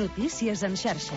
Notícies en xarxa.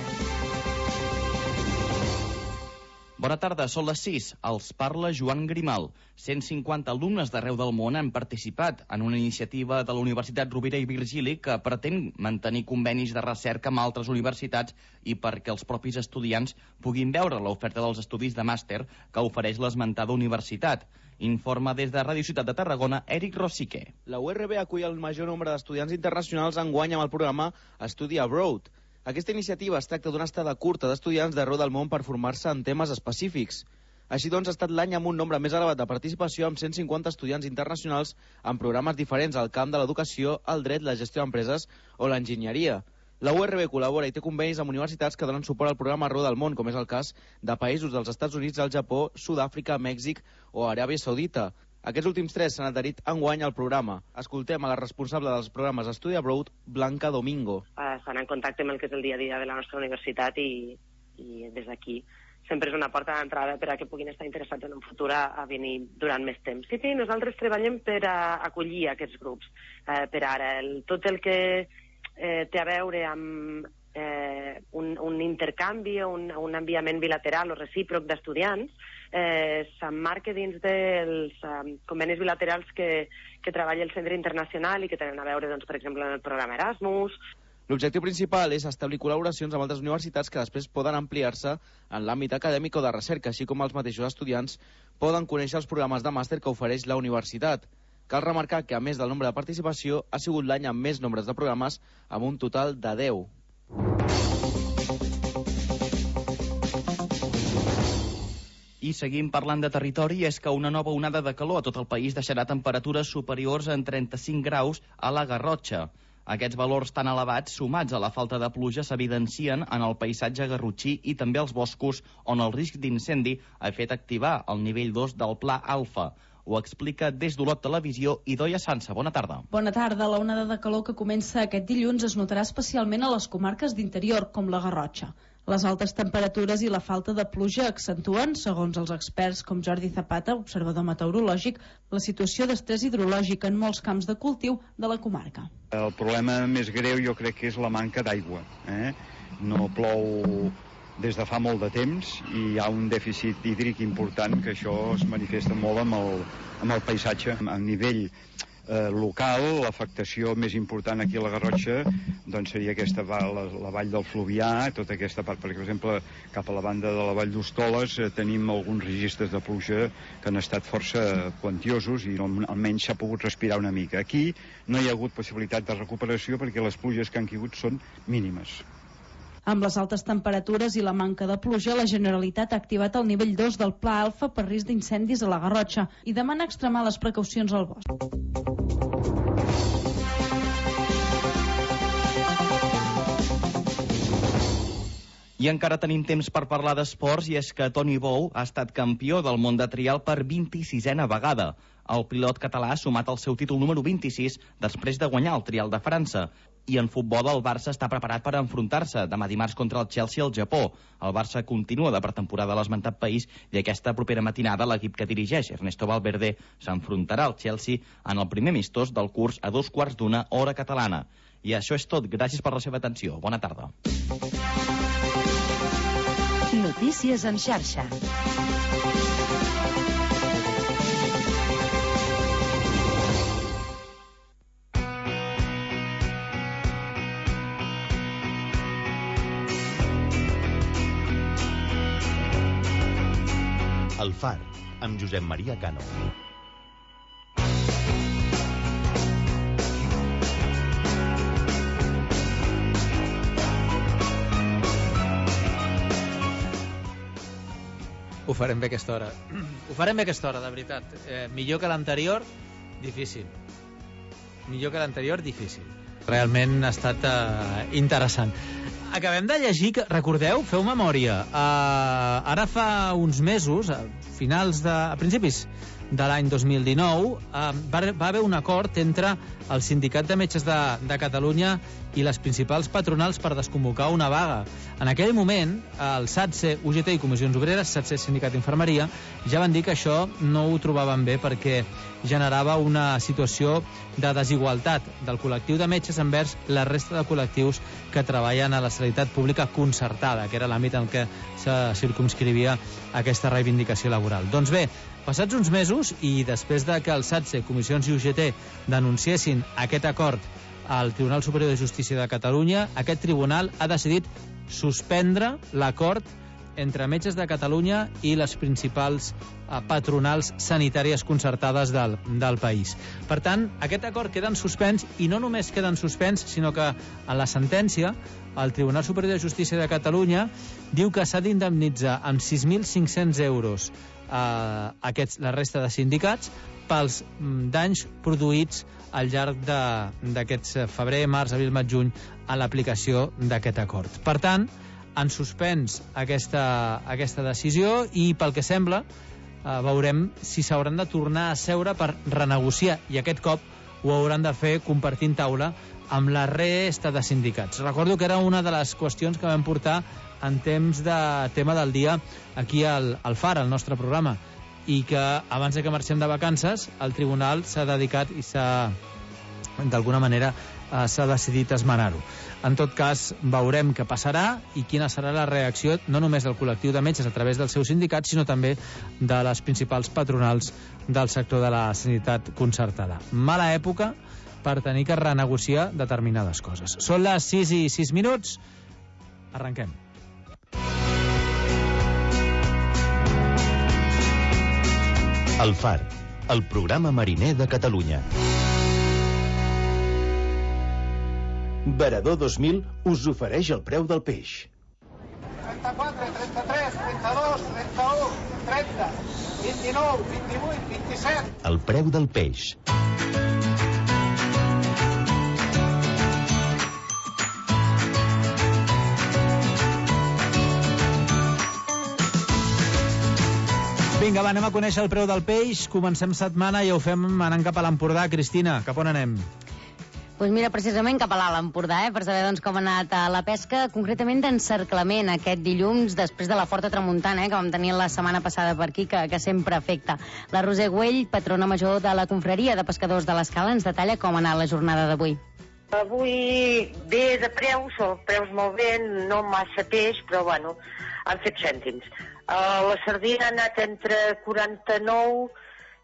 Bona tarda, són les 6. Els parla Joan Grimal. 150 alumnes d'arreu del món han participat en una iniciativa de la Universitat Rovira i Virgili que pretén mantenir convenis de recerca amb altres universitats i perquè els propis estudiants puguin veure l'oferta dels estudis de màster que ofereix l'esmentada universitat. Informa des de Ràdio Ciutat de Tarragona, Eric Rosique. La URB acull el major nombre d'estudiants internacionals enguany amb el programa Study Abroad. Aquesta iniciativa es tracta d'una estada curta d'estudiants d'arreu del món per formar-se en temes específics. Així doncs, ha estat l'any amb un nombre més elevat de participació amb 150 estudiants internacionals en programes diferents al camp de l'educació, el dret, la gestió d'empreses o l'enginyeria. La URB col·labora i té convenis amb universitats que donen suport al programa arreu del món, com és el cas de països dels Estats Units, el Japó, Sud-àfrica, Mèxic o Aràbia Saudita. Aquests últims 3 s'han adherit enguany al programa. Escoltem a la responsable dels programes Study Abroad, Blanca Domingo. Estan en contacte amb el que és el dia a dia de la nostra universitat i des d'aquí sempre és una porta d'entrada per a que puguin estar interessats en un futur a venir durant més temps. Sí, nosaltres treballem per a acollir aquests grups. Per ara, tot el que té a veure amb un intercanvi o un enviament bilateral o recíproc d'estudiants s'emmarca dins dels convenis bilaterals que treballa el Centre Internacional i que tenen a veure, doncs, per exemple, en el programa Erasmus. L'objectiu principal és establir col·laboracions amb altres universitats que després poden ampliar-se en l'àmbit acadèmic o de recerca, així com els mateixos estudiants poden conèixer els programes de màster que ofereix la universitat. Cal remarcar que, a més del nombre de participació, ha sigut l'any amb més nombres de programes, amb un total de 10. I seguim parlant de territori, és que una nova onada de calor a tot el país deixarà temperatures superiors en 35 graus a la Garrotxa. Aquests valors tan elevats, sumats a la falta de pluja, s'evidencien en el paisatge garrotxí i també als boscos, on el risc d'incendi ha fet activar el nivell 2 del Pla Alfa. Ho explica des d'Olot Televisió Idoia Sansa. Bona tarda. Bona tarda. La onada de calor que comença aquest dilluns es notarà especialment a les comarques d'interior, com la Garrotxa. Les altes temperatures i la falta de pluja accentuen, segons els experts com Jordi Zapata, observador meteorològic, la situació d'estrès hidrològic en molts camps de cultiu de la comarca. El problema més greu jo crec que és la manca d'aigua. No plou des de fa molt de temps i hi ha un dèficit hídric important que això es manifesta molt amb el paisatge. A nivell local, l'afectació més important aquí a la Garrotxa doncs seria aquesta la vall del Fluvià, tota aquesta part, perquè per exemple cap a la banda de la vall d'Hostoles tenim alguns registres de pluja que han estat força quantiosos i almenys s'ha pogut respirar una mica. Aquí no hi ha hagut possibilitat de recuperació perquè les pluges que han caigut són mínimes. Amb les altes temperatures i la manca de pluja, la Generalitat ha activat el nivell 2 del Pla Alfa per risc d'incendis a la Garrotxa i demana extremar les precaucions al bosc. I encara tenim temps per parlar d'esports, i és que Toni Bou ha estat campió del món de trial per 26a vegada. El pilot català ha sumat el seu títol número 26 després de guanyar el trial de França. I en futbol el Barça està preparat per enfrontar-se demà dimarts contra el Chelsea al Japó. El Barça continua de pretemporada a l'esmentat país i aquesta propera matinada l'equip que dirigeix Ernesto Valverde s'enfrontarà al Chelsea en el primer amistós del curs a 2:15 hora catalana. I això és tot. Gràcies per la seva atenció. Bona tarda. Notícies en xarxa. El Far, amb Josep Maria Cano. Ho farem bé aquesta hora. Ho farem bé aquesta hora, de veritat. Millor que l'anterior, difícil. Millor que l'anterior, difícil. Realment ha estat interessant. Acabem de llegir, recordeu, feu memòria, ara fa uns mesos, a principis de l'any 2019, va haver un acord entre el Sindicat de Metges de Catalunya i les principals patronals per desconvocar una vaga. En aquell moment, el SATSE, UGT i Comissions Obreres, SATSE Sindicat d'Infermeria, ja van dir que això no ho trobaven bé perquè generava una situació de desigualtat del col·lectiu de metges envers la resta de col·lectius que treballen a la sanitat pública concertada, que era l'àmbit en què se circumscrivia aquesta reivindicació laboral. Doncs bé, passats uns mesos i després de que el SATSE, Comissions i UGT denunciessin aquest acord al Tribunal Superior de Justícia de Catalunya, aquest tribunal ha decidit suspendre l'acord entre Metges de Catalunya i les principals patronals sanitàries concertades del país. Per tant, aquest acord queda en suspens, i no només queda en suspens, sinó que en la sentència el Tribunal Superior de Justícia de Catalunya diu que s'ha d'indemnitzar amb 6.500 euros la resta de sindicats pels danys produïts al llarg d'aquests febrer, març, abril, maig, juny a l'aplicació d'aquest acord. Per tant, han suspens aquesta decisió i, pel que sembla, veurem si s'hauran de tornar a seure per renegociar, i aquest cop ho hauran de fer compartint taula amb la resta de sindicats. Recordo que era una de les qüestions que vam portar en temps de tema del dia aquí al FAR, al nostre programa, i que abans que marxem de vacances el tribunal s'ha dedicat i d'alguna manera s'ha decidit esmenar-ho. En tot cas, veurem què passarà i quina serà la reacció no només del col·lectiu de metges a través dels seus sindicats, sinó també de les principals patronals del sector de la sanitat concertada. Mala època per tenir que renegociar determinades coses. Són les 6:06. Arrenquem. El Far, el programa mariner de Catalunya. Veredor 2000 us ofereix el preu del peix. 34, 33, 32, 31, 30, 29, 28, 27... El preu del peix. Vinga, va, anem a conèixer el preu del peix. Comencem setmana i ho fem anant cap a l'Empordà. Cristina, cap on anem? Doncs mira, precisament cap a l'Alt Empordà, per saber com ha anat la pesca, concretament d'encerclament aquest dilluns, després de la forta tramuntana que vam tenir la setmana passada per aquí, que sempre afecta. La Roser Güell, patrona major de la Confraria de Pescadors de l'Escala, ens detalla com ha anat la jornada d'avui. Avui bé de preus, preus molt bé, no massa peix, però bueno, han fet cèntims. La sardina ha anat entre 49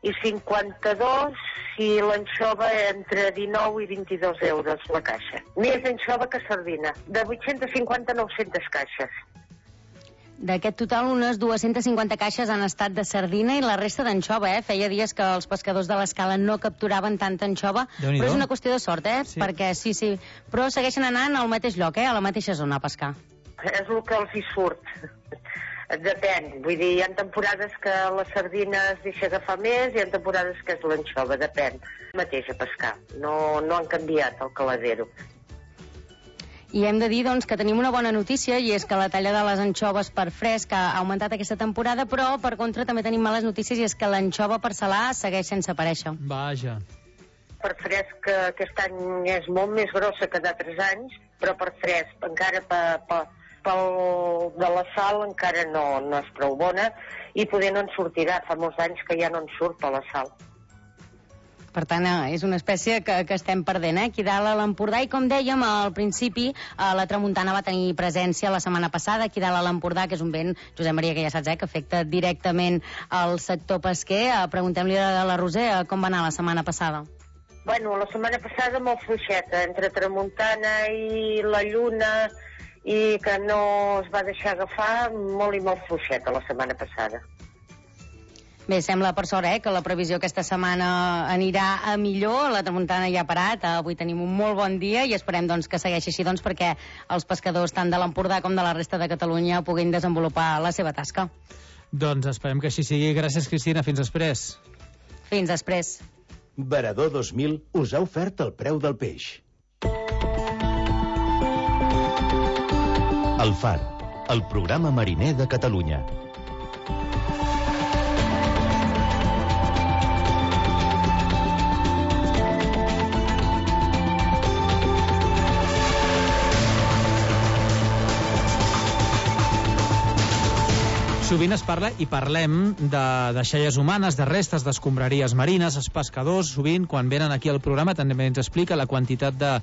i 52 i l'anxova entre 19 i 22 euros la caixa. Més anxova que sardina, de 850 a 900 caixes. D'aquest total, unes 250 caixes han estat de sardina i la resta d'anxova, Feia dies que els pescadors de l'Escala no capturaven tanta anxova, però és una qüestió de sort, Sí. Perquè sí, però segueixen anant al mateix lloc, a la mateixa zona a pescar. És el que els hi surt. Depèn, vull dir, hi ha temporades que la sardina es deixa agafar més i hi ha temporades que és l'anxova, depèn. Mateix a pescar, no han canviat el caladero. I hem de dir, que tenim una bona notícia, i és que la talla de les anxoves per fresc ha augmentat aquesta temporada, però, per contra, també tenim males notícies, i és que l'anxova per salar segueix sense aparèixer. Vaja. Per fresc aquest any és molt més grossa que d'altres anys, però per fresc, encara pel de la sal encara no és prou bona, i poder no en sortirà. Fa molts anys que ja no en surt a la sal. Per tant, és una espècie que estem perdent, aquí dalt a l'Empordà. I com dèiem al principi, la tramuntana va tenir presència la setmana passada aquí dalt a l'Empordà, que és un vent, Josep Maria, que ja saps, que afecta directament al sector pesquer. Preguntem-li a la Roser com va anar la setmana passada. Bueno, la setmana passada molt fluixeta, entre tramuntana i la lluna, i que no es va deixar agafar, molt i molt fluixeta la setmana passada. Bé, sembla per sort que la previsió aquesta setmana anirà a millor, la tramuntana ja ha parat, avui tenim un molt bon dia i esperem que segueixi així perquè els pescadors tant de l'Empordà com de la resta de Catalunya puguin desenvolupar la seva tasca. Doncs esperem que així sigui. Gràcies, Cristina. Fins després. Fins després. Veredor 2000 us ha ofert el preu del peix. El Far, el programa mariner de Catalunya. Sovint es parla i parlem de deixalles humanes, de restes d'escombraries marines. Els pescadors, sovint, quan venen aquí al programa, també ens explica la quantitat de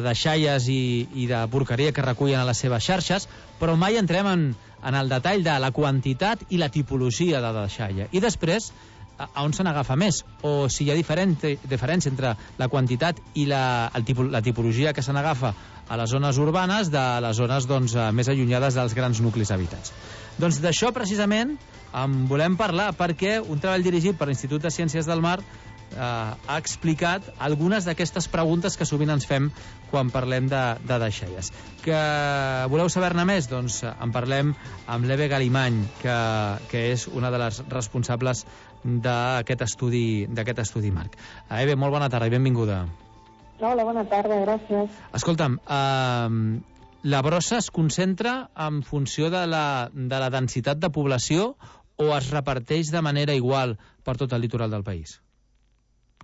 deixalles i de porqueria que recullen a les seves xarxes, però mai entrem en el detall de la quantitat i la tipologia de deixalla. I després, a on se n'agafa més? O si hi ha diferència entre la quantitat i la tipologia que se n'agafa a les zones urbanes de les zones més allunyades dels grans nuclis habitats. Doncs d'això precisament en volem parlar, perquè un treball dirigit per l'Institut de Ciències del Mar ha explicat algunes d'aquestes preguntes que sovint ens fem quan parlem de deixalles. Que voleu saber-ne més? Doncs en parlem amb l'Eve Galimany, que és una de les responsables d'aquest estudi Marc. Eve, molt bona tarda i benvinguda. Hola, bona tarda, gràcies. Escolta'm, la brossa es concentra en funció de la densitat de població o es reparteix de manera igual per tot el litoral del país?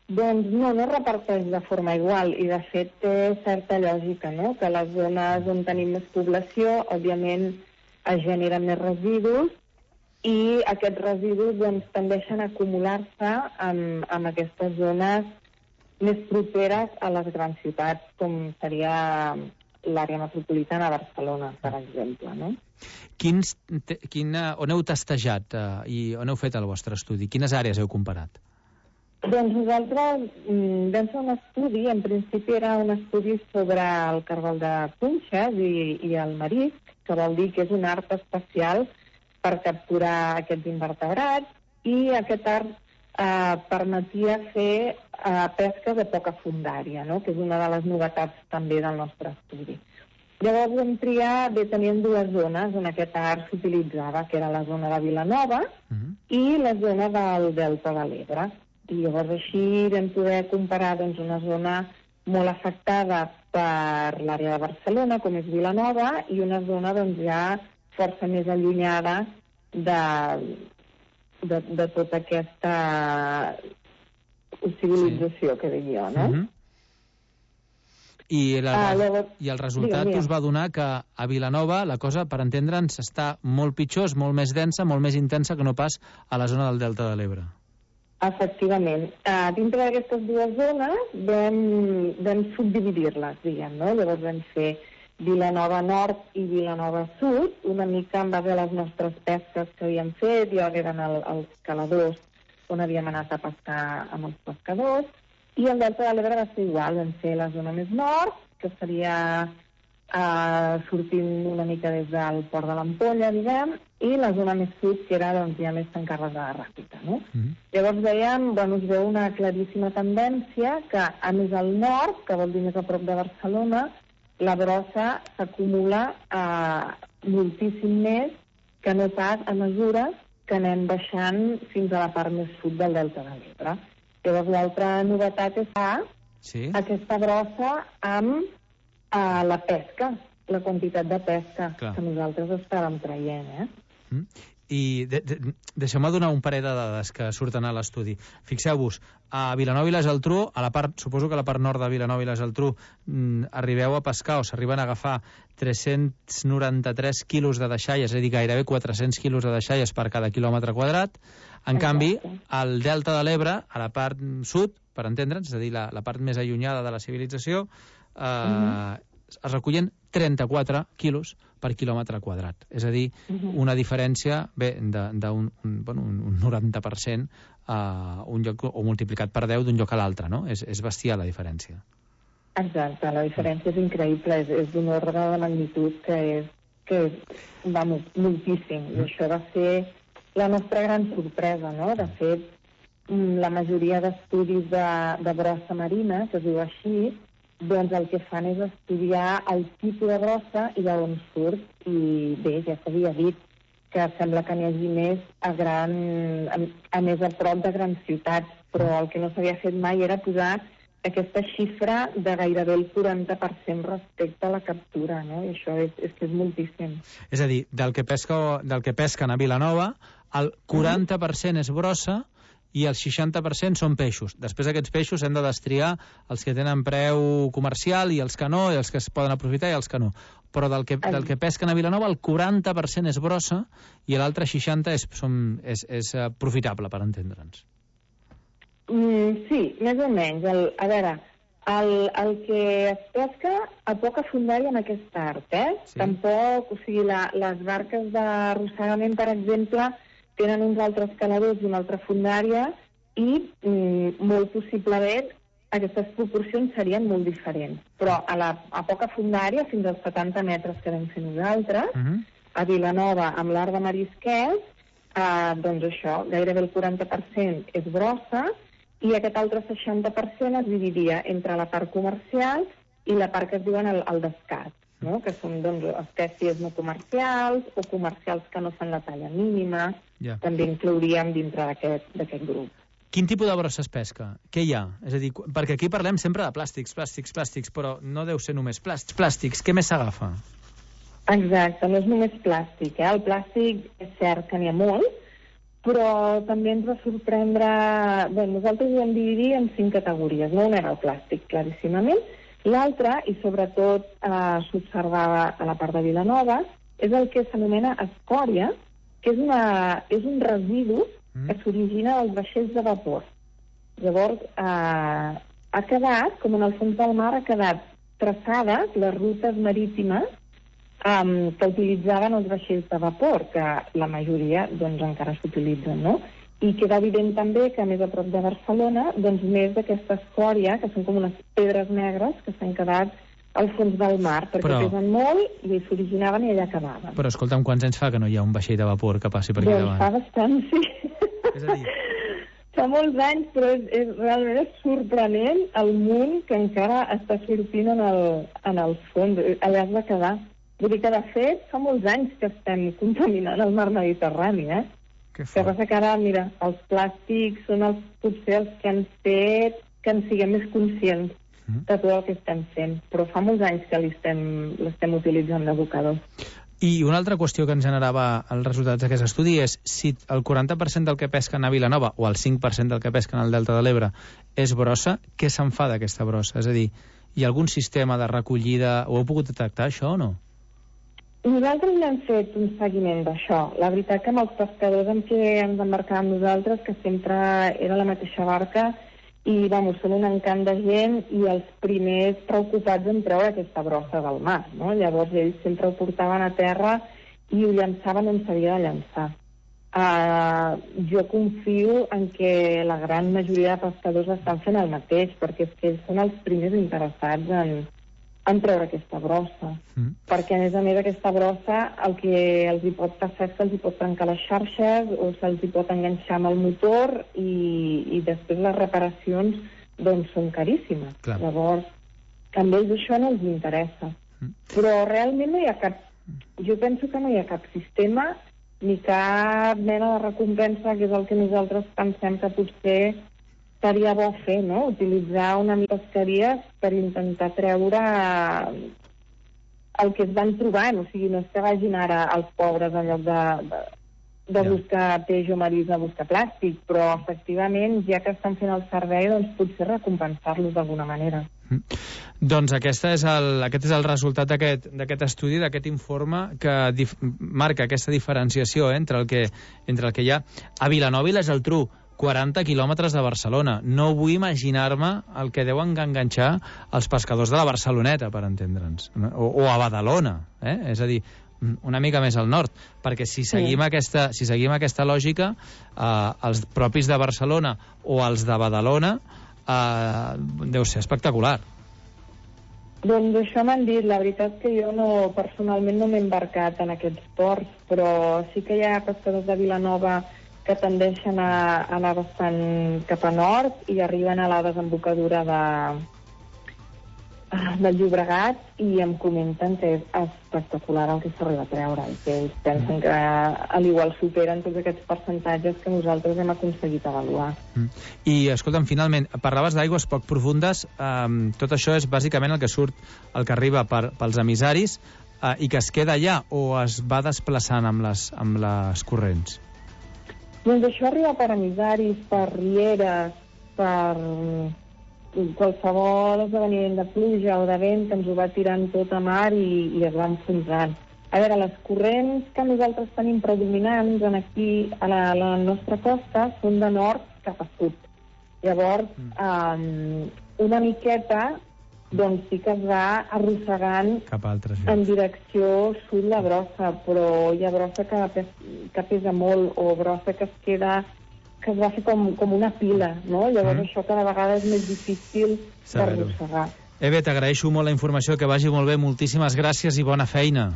Doncs no es reparteix de forma igual i de fet té certa lògica, no? Que les zones on tenim més població, òbviament, es generen més residus i aquests residus tendeixen a acumular-se en aquestes zones més properes a les grans ciutats, com seria l'àrea metropolitana de Barcelona, per exemple, no? On heu testejat i on heu fet el vostre estudi? Quines àrees heu comparat? Doncs nosaltres vam fer un estudi, en principi era un estudi sobre el cargol de punxes i el marisc, que vol dir que és un art especial per capturar aquests invertebrats, i aquest art permetia fer pesca de poca fondària, no? Que és una de les novetats també del nostre estudi. Llavors vam triar, tenien dues zones on aquest art s'utilitzava, que era la zona de Vilanova i la zona del Delta de l'Ebre. I llavors així vam poder comparar una zona molt afectada per l'àrea de Barcelona, com és Vilanova, i una zona ja força més allunyada de tota aquesta civilització que dic jo, no? I el resultat us va donar que a Vilanova la cosa, per entendre'ns, està molt pitjor, és molt més densa, molt més intensa que no pas a la zona del Delta de l'Ebre. Efectivament. Dintre d'aquestes dues zones vam subdividir-les, diguem, no? Llavors vam fer Vilanova Nord i Vilanova Sud, una mica en base a les nostres pesques que havíem fet, i eren els caladors on havíem anat a pescar amb els pescadors, i el Delta de l'Ebre va ser igual, vam fer la zona més nord, que seria sortint una mica des del port de l'Ampolla, diguem, i la zona més sud, que era ja més tancada de ràpida, no? Llavors veiem, es veu una claríssima tendència que, a més al nord, que vol dir més a prop de Barcelona, la brossa s'acumula moltíssim més que no pas a mesura que anem baixant fins a la part més sud del Delta de l'Ebre. Llavors l'altra novetat és aquesta brossa amb la pesca, la quantitat de pesca que nosaltres estàvem traient, I deixeu-me donar un parell de dades que surten a l'estudi. Fixeu-vos, a Vilanova i la Geltrú, suposo que a la part nord de Vilanova i la Geltrú arribeu a pescar o s'arriben a agafar 393 quilos de deixalles, és a dir, gairebé 400 quilos de deixalles per cada quilòmetre quadrat. En canvi, al Delta de l'Ebre, a la part sud, per entendre'ns, és a dir, la part més allunyada de la civilització, es recullen 34 quilos per quilòmetre quadrat. És a dir, una diferència d'un 90% un lloc, o multiplicat per 10 d'un lloc a l'altre, no? És bestial la diferència. Exacte, la diferència és increïble, és d'un ordre de magnitud que va moltíssim. I això va ser la nostra gran sorpresa, no? De fet, la majoria d'estudis de brossa marina, que es diu així, doncs el que fan és estudiar el tipus de brossa i d'on surt. I bé, ja s'havia dit que sembla que n'hi hagi més a més a prop de grans ciutats, però el que no s'havia fet mai era posar aquesta xifra de gairebé el 40% respecte a la captura, no? I això és moltíssim. És a dir, del que pesquen a Vilanova, el 40% és brossa i el 60% són peixos. Després aquests peixos hem de destriar els que tenen preu comercial i els que no, i els que es poden aprofitar i els que no. Però del que pesquen a Vilanova el 40% és brossa i l'altre 60% és profitable, per entendre'ns. Sí, més o menys. A veure, el que es pesca a poca fondària en aquest art, Sí. Tampoc, o sigui, les barques d'arrossegament, per exemple, tenen uns altres caladors i una altra fondària i molt possiblement aquestes proporcions serien molt diferents. Però a poca fondària, fins als 70 metres que vam fer nosaltres, a Vilanova, amb l'art de marisquers, doncs això, gairebé el 40% és brossa i aquest altre 60% es dividia entre la part comercial i la part que es diuen el descart, no? Que són doncs, espècies no comercials o comercials que no fan la talla mínima, també inclouríem dintre d'aquest grup. Quin tipus de brossa es pesca? Què hi ha? És a dir, perquè aquí parlem sempre de plàstics, però no deu ser només plàstics. Què més s'agafa? Exacte, no és només plàstic. El plàstic és cert que n'hi ha molt, però també ens va sorprendre... Bé, nosaltres ho vam dividir en 5 categories. No una era el plàstic, claríssimament. L'altra, i sobretot s'observava a la part de Vilanova, és el que s'anomena escòria, que és un residu que s'origina dels vaixells de vapor. Llavors, ha quedat, com en el fons del mar, ha quedat traçades les rutes marítimes que utilitzaven els vaixells de vapor, que la majoria doncs, encara s'utilitzen, no? I queda evident també que més a prop de Barcelona, doncs més d'aquesta escòria, que són com unes pedres negres que s'han quedat al fons del mar, perquè pesen molt i s'originaven i allà acabaven. Però escolta'm, quants anys fa que no hi ha un vaixell de vapor que passi per aquí davant? Doncs fa bastant, sí. És a dir... Fa molts anys, però realment és sorprenent el munt que encara està sortint en el fons. Allà es va quedar. Vull dir que, de fet, fa molts anys que estem contaminant el mar Mediterrani, Que passa que ara, mira, els plàstics són potser els que han fet que en siguem més conscients de tot el que estem fent, però fa molts anys que l'estem utilitzant d'abocador. I una altra qüestió que ens generava els resultats d'aquest estudi és si el 40% del que pesquen a Vilanova o el 5% del que pesquen al Delta de l'Ebre és brossa, què se'n fa d'aquesta brossa? És a dir, hi ha algun sistema de recollida? Ho heu pogut detectar, això, o no? Nosaltres n'hem fet un seguiment d'això. La veritat que amb els pescadors amb què ens embarcàvem nosaltres, que sempre era la mateixa barca, i són un encant de gent i els primers preocupats en treure aquesta brossa del mar, no? Llavors ells sempre ho portaven a terra i ho llançaven on s'havia de llançar. Jo confio en que la gran majoria de pescadors estan fent el mateix, perquè és que ells són els primers interessats en treure aquesta brossa. Perquè, a més, aquesta brossa el que els hi pot passar és que els hi pot trencar les xarxes o se'ls hi pot enganxar amb el motor i després les reparacions doncs són caríssimes. Llavors, a ells això no els interessa. Però realment no hi ha cap... Jo penso que no hi ha cap sistema ni cap mena de recompensa, que és el que nosaltres pensem que potser seria bo fer, no? Utilitzar una mica pesqueries per intentar treure el que es van trobant. O sigui, no és que vagin ara els pobres en lloc de buscar peix o marís a buscar plàstic, però efectivament, ja que estan fent el servei, doncs potser recompensar-los d'alguna manera. Doncs aquest és el resultat d'aquest estudi, d'aquest informe que marca aquesta diferenciació entre el que hi ha a Vilanova i la Geltrú, 40 quilòmetres de Barcelona. No vull imaginar-me el que deuen enganxar els pescadors de la Barceloneta, per entendre'ns, o a Badalona, és a dir, una mica més al nord, perquè si seguim aquesta lògica, els propis de Barcelona o els de Badalona deu ser espectacular. Doncs això m'han dit. La veritat que jo personalment no m'he embarcat en aquests ports, però sí que hi ha pescadors de Vilanova que tendeixen a anar bastant cap a nord i arriben a la desembocadura del Llobregat i em comenten que és espectacular el que s'arriba a treure i que ells pensen que a l'igual superen tots aquests percentatges que nosaltres hem aconseguit avaluar. I, escolta'm, finalment, parlaves d'aigües poc profundes, tot això és bàsicament el que arriba pels emissaris i que es queda allà o es va desplaçant amb les corrents? Doncs això arriba per emissaris, per rieres, per qualsevol esdeveniment de pluja o de vent que ens ho va tirant tot a mar i es va enfonsant. A veure, les corrents que nosaltres tenim predominants aquí a la nostra costa són de nord cap a sud. Llavors, una miqueta doncs sí que es va arrossegant en direcció sud la brossa, però hi ha brossa que pesa molt o brossa que es va fer com una pila, no? Llavors això cada vegada és més difícil d'arrossegar. Eve, t'agraeixo molt la informació, que vagi molt bé, moltíssimes gràcies i bona feina.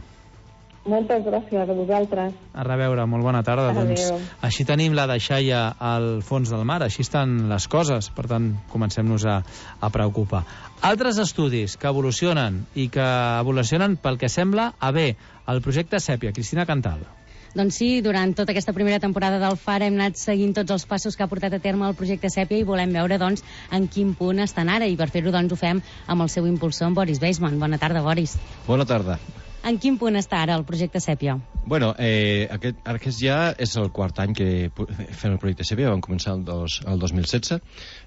Moltes gràcies a vosaltres. A reveure, molt bona tarda. Doncs, així tenim la deixalla al fons del mar, així estan les coses, per tant, comencem-nos a preocupar. Altres estudis que evolucionen i que evolucionen pel que sembla a bé, el projecte Sèpia. Cristina Cantal. Doncs sí, durant tota aquesta primera temporada del FAR hem anat seguint tots els passos que ha portat a terme el projecte Sèpia i volem veure doncs, en quin punt estan ara, i per fer-ho doncs, ho fem amb el seu impulsor, en Boris Weisman. Bona tarda, Boris. Bona tarda. En quin punt està ara el projecte Sèpia? Bueno, aquest ja és el quart any que fem el projecte Sèpia. Vam començar el 2016,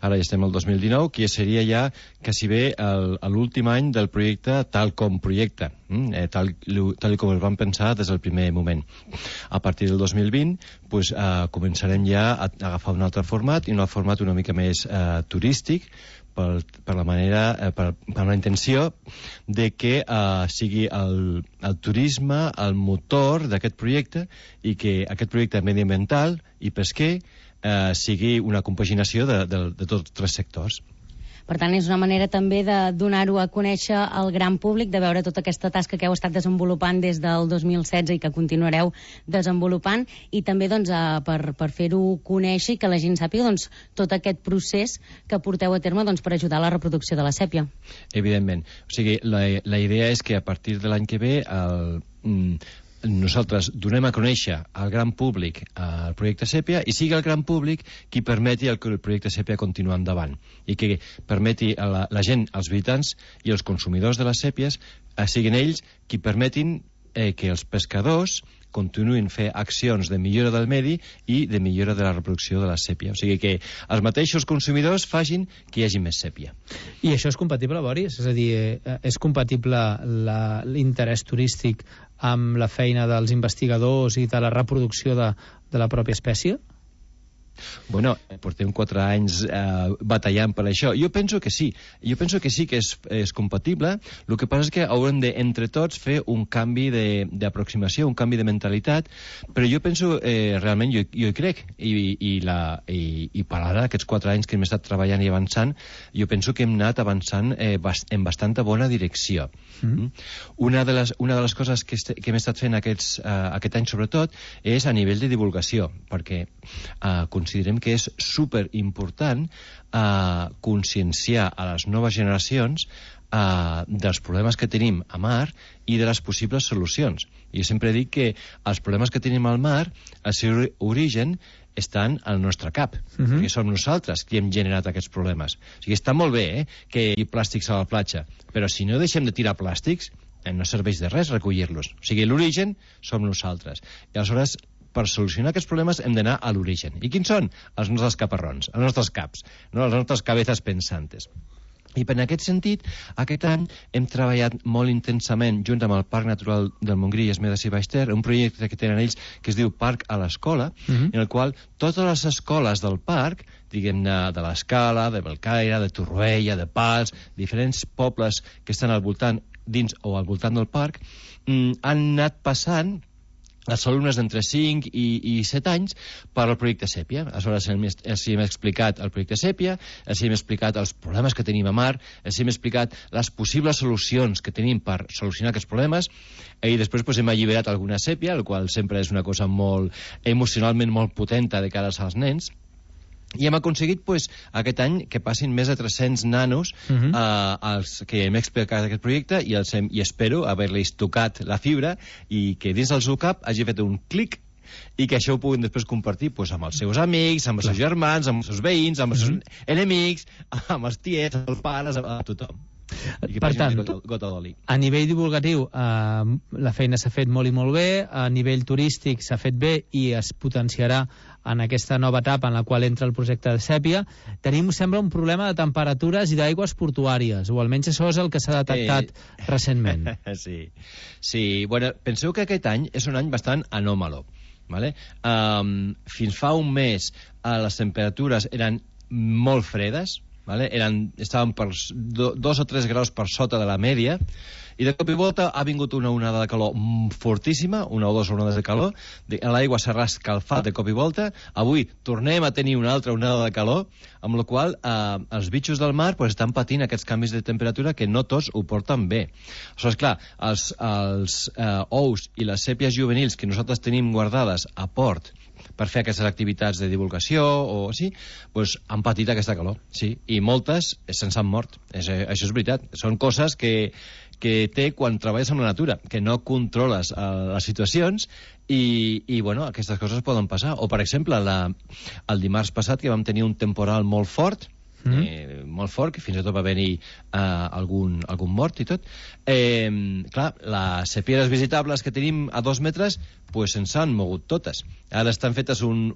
ara ja estem al 2019, que seria ja quasi bé l'últim any del projecte tal com projecte, tal com el vam pensar des del primer moment. A partir del 2020 pues, començarem ja a agafar un altre format, i un format una mica més turístic, per la intenció de que sigui el turisme el motor d'aquest projecte, i que aquest projecte mediambiental i pesquer sigui una compaginació de tots tres sectors. Per tant, és una manera també de donar-ho a conèixer al gran públic, de veure tota aquesta tasca que heu estat desenvolupant des del 2016 i que continuareu desenvolupant, i també doncs, per fer-ho conèixer i que la gent sàpiga doncs, tot aquest procés que porteu a terme doncs, per ajudar a la reproducció de la sèpia. Evidentment. O sigui, la idea és que a partir de l'any que ve nosaltres donem a conèixer al gran públic el projecte Sèpia, i sigui el gran públic qui permeti que el projecte Sèpia continuï endavant, i que permeti a la gent, als visitants i els consumidors de les sèpies, siguin ells qui permetin que els pescadors continuïn fer accions de millora del medi i de millora de la reproducció de la sèpia. O sigui que els mateixos consumidors facin que hi hagi més sèpia. I això és compatible, Boris? És a dir, és compatible l'interès turístic amb la feina dels investigadors i de la reproducció de la pròpia espècie? Bueno, portem 4 anys batallant per això. Jo penso que sí. Jo penso que sí que és compatible. El que passa és que haurem de, entre tots, fer un canvi d'aproximació, un canvi de mentalitat, però jo penso, realment, jo hi crec, i per ara, aquests 4 anys que hem estat treballant i avançant, jo penso que hem anat avançant en bastanta bona direcció. Una de les coses que hem estat fent aquest any, sobretot, és a nivell de divulgació, perquè considerem que és superimportant conscienciar a les noves generacions dels problemes que tenim a mar i de les possibles solucions. Jo sempre dic que els problemes que tenim al mar, el seu origen estan al nostre cap, perquè som nosaltres qui hem generat aquests problemes. O sigui, està molt bé que hi hagi plàstics a la platja, però si no deixem de tirar plàstics, no serveix de res recollir-los. O sigui, l'origen som nosaltres. I aleshores, per solucionar aquests problemes hem d'anar a l'origen. I quins són? Els nostres caparrons, els nostres caps, les nostres cabezas pensantes. I per aquest sentit, aquest any hem treballat molt intensament junt amb el Parc Natural del Montgrí i Esmedes i Baix Ter, un projecte que tenen ells que es diu Parc a l'Escola, en el qual totes les escoles del parc, diguem-ne de l'Escala, de Belcaire, de Torroella, de Pals, diferents pobles que estan al voltant, dins o al voltant del parc, han anat passant els alumnes d'entre 5 i 7 anys per al projecte Sèpia. Aleshores els hem explicat el projecte Sèpia, els hem explicat els problemes que tenim a mar, els hem explicat les possibles solucions que tenim per solucionar aquests problemes, i després hem alliberat alguna sèpia, el qual sempre és una cosa molt emocionalment molt potenta de cara als nens. I hem aconseguit aquest any que passin més de 300 nanos als que hem explicat aquest projecte, i espero haver-los tocat la fibra i que dins del seu cap hagi fet un clic i que això ho puguin després compartir amb els seus amics, amb els seus germans, amb els seus veïns, amb els seus enemics, amb els tiets, els pares, a tothom. Per tant, gota d'oli. A nivell divulgatiu, la feina s'ha fet molt i molt bé, a nivell turístic s'ha fet bé i es potenciarà en aquesta nova etapa en la qual entra el projecte de Sèpia. Tenim, sembla, un problema de temperatures i d'aigües portuàries, o almenys això és el que s'ha detectat recentment. Sí, bueno, penseu que aquest any és un any bastant anòmalo. Vale? Fins fa un mes les temperatures eren molt fredes, vale? Estaven per 2 o 3 graus per sota de la mèdia, i de cop i volta ha vingut una onada de calor fortíssima, 1 o 2 onades de calor, l'aigua s'ha escalfat de cop i volta, avui tornem a tenir una altra onada de calor, amb la qual els bitxos del mar estan patint aquests canvis de temperatura que no tots ho porten bé. Això és clar, els ous i les sèpies juvenils que nosaltres tenim guardades a port per fer aquestes activitats de divulgació o així, doncs han patit aquesta calor, sí, i moltes se'ns han mort. Això és veritat. Són coses que té quan treballes amb la natura, que no controles les situacions i bueno, aquestes coses poden passar. O, per exemple, el dimarts passat que vam tenir un temporal molt fort, que fins i tot va haver-hi algun mort i tot. Clar, les sepieres visitables que tenim a 2 metres se'ns han mogut totes. Ara estan fetes un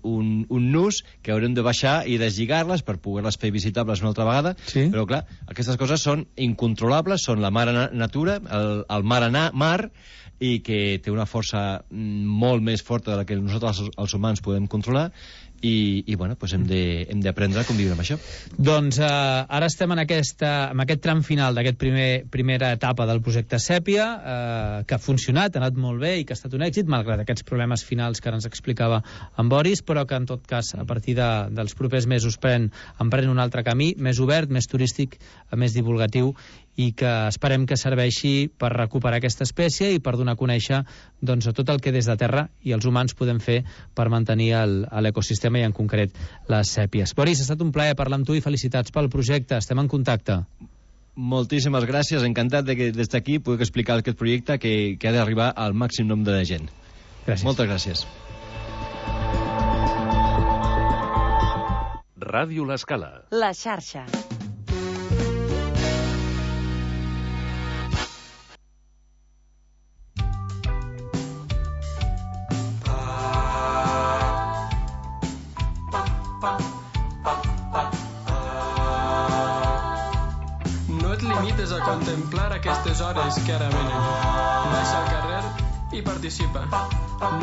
nus que haurem de baixar i deslligar-les per poder-les fer visitables una altra vegada, però clar, aquestes coses són incontrolables, són la mare natura, el mar, i que té una força molt més forta de la que nosaltres els humans podem controlar, i bueno, hem d'aprendre a conviure amb això. Doncs ara estem en aquest tram final d'aquest primera etapa del projecte Sèpia, que ha funcionat, ha anat molt bé i que ha estat un èxit, malgrat aquests problemes finals que ara ens explicava en Boris, però que en tot cas a partir dels propers mesos empren un altre camí, més obert, més turístic, més divulgatiu, i que esperem que serveixi per recuperar aquesta espècie i per donar a conèixer tot el que des de terra i els humans podem fer per mantenir l'ecosistema i en concret les sèpies. Boris, ha estat un plaer parlar amb tu i felicitats pel projecte. Estem en contacte. Moltíssimes gràcies, encantat de que des d'aquí pugui explicar aquest projecte que ha d'arribar al màxim nombre de gent. Gràcies. Moltes gràcies. Ràdio L'Escala. La xarxa. A contemplar aquestes hores que ara venen. Baixa al carrer i participa.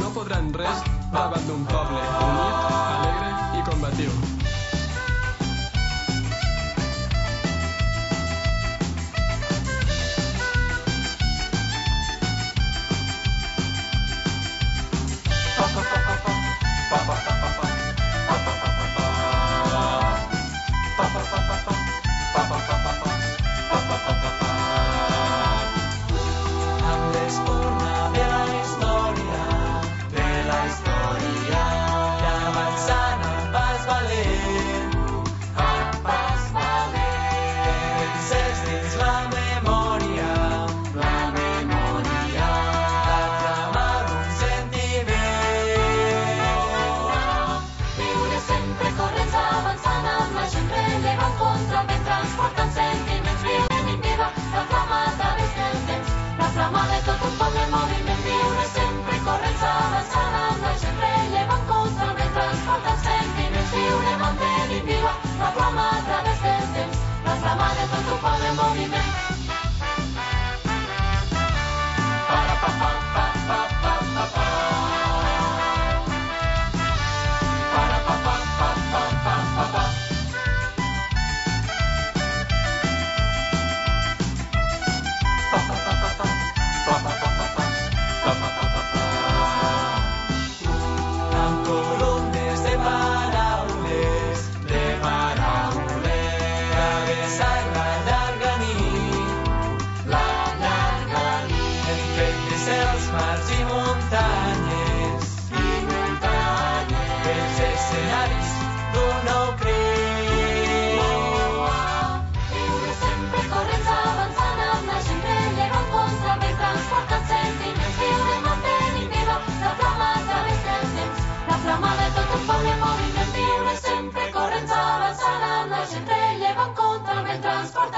No podran res davant d'un poble unit, alegre i combatiu.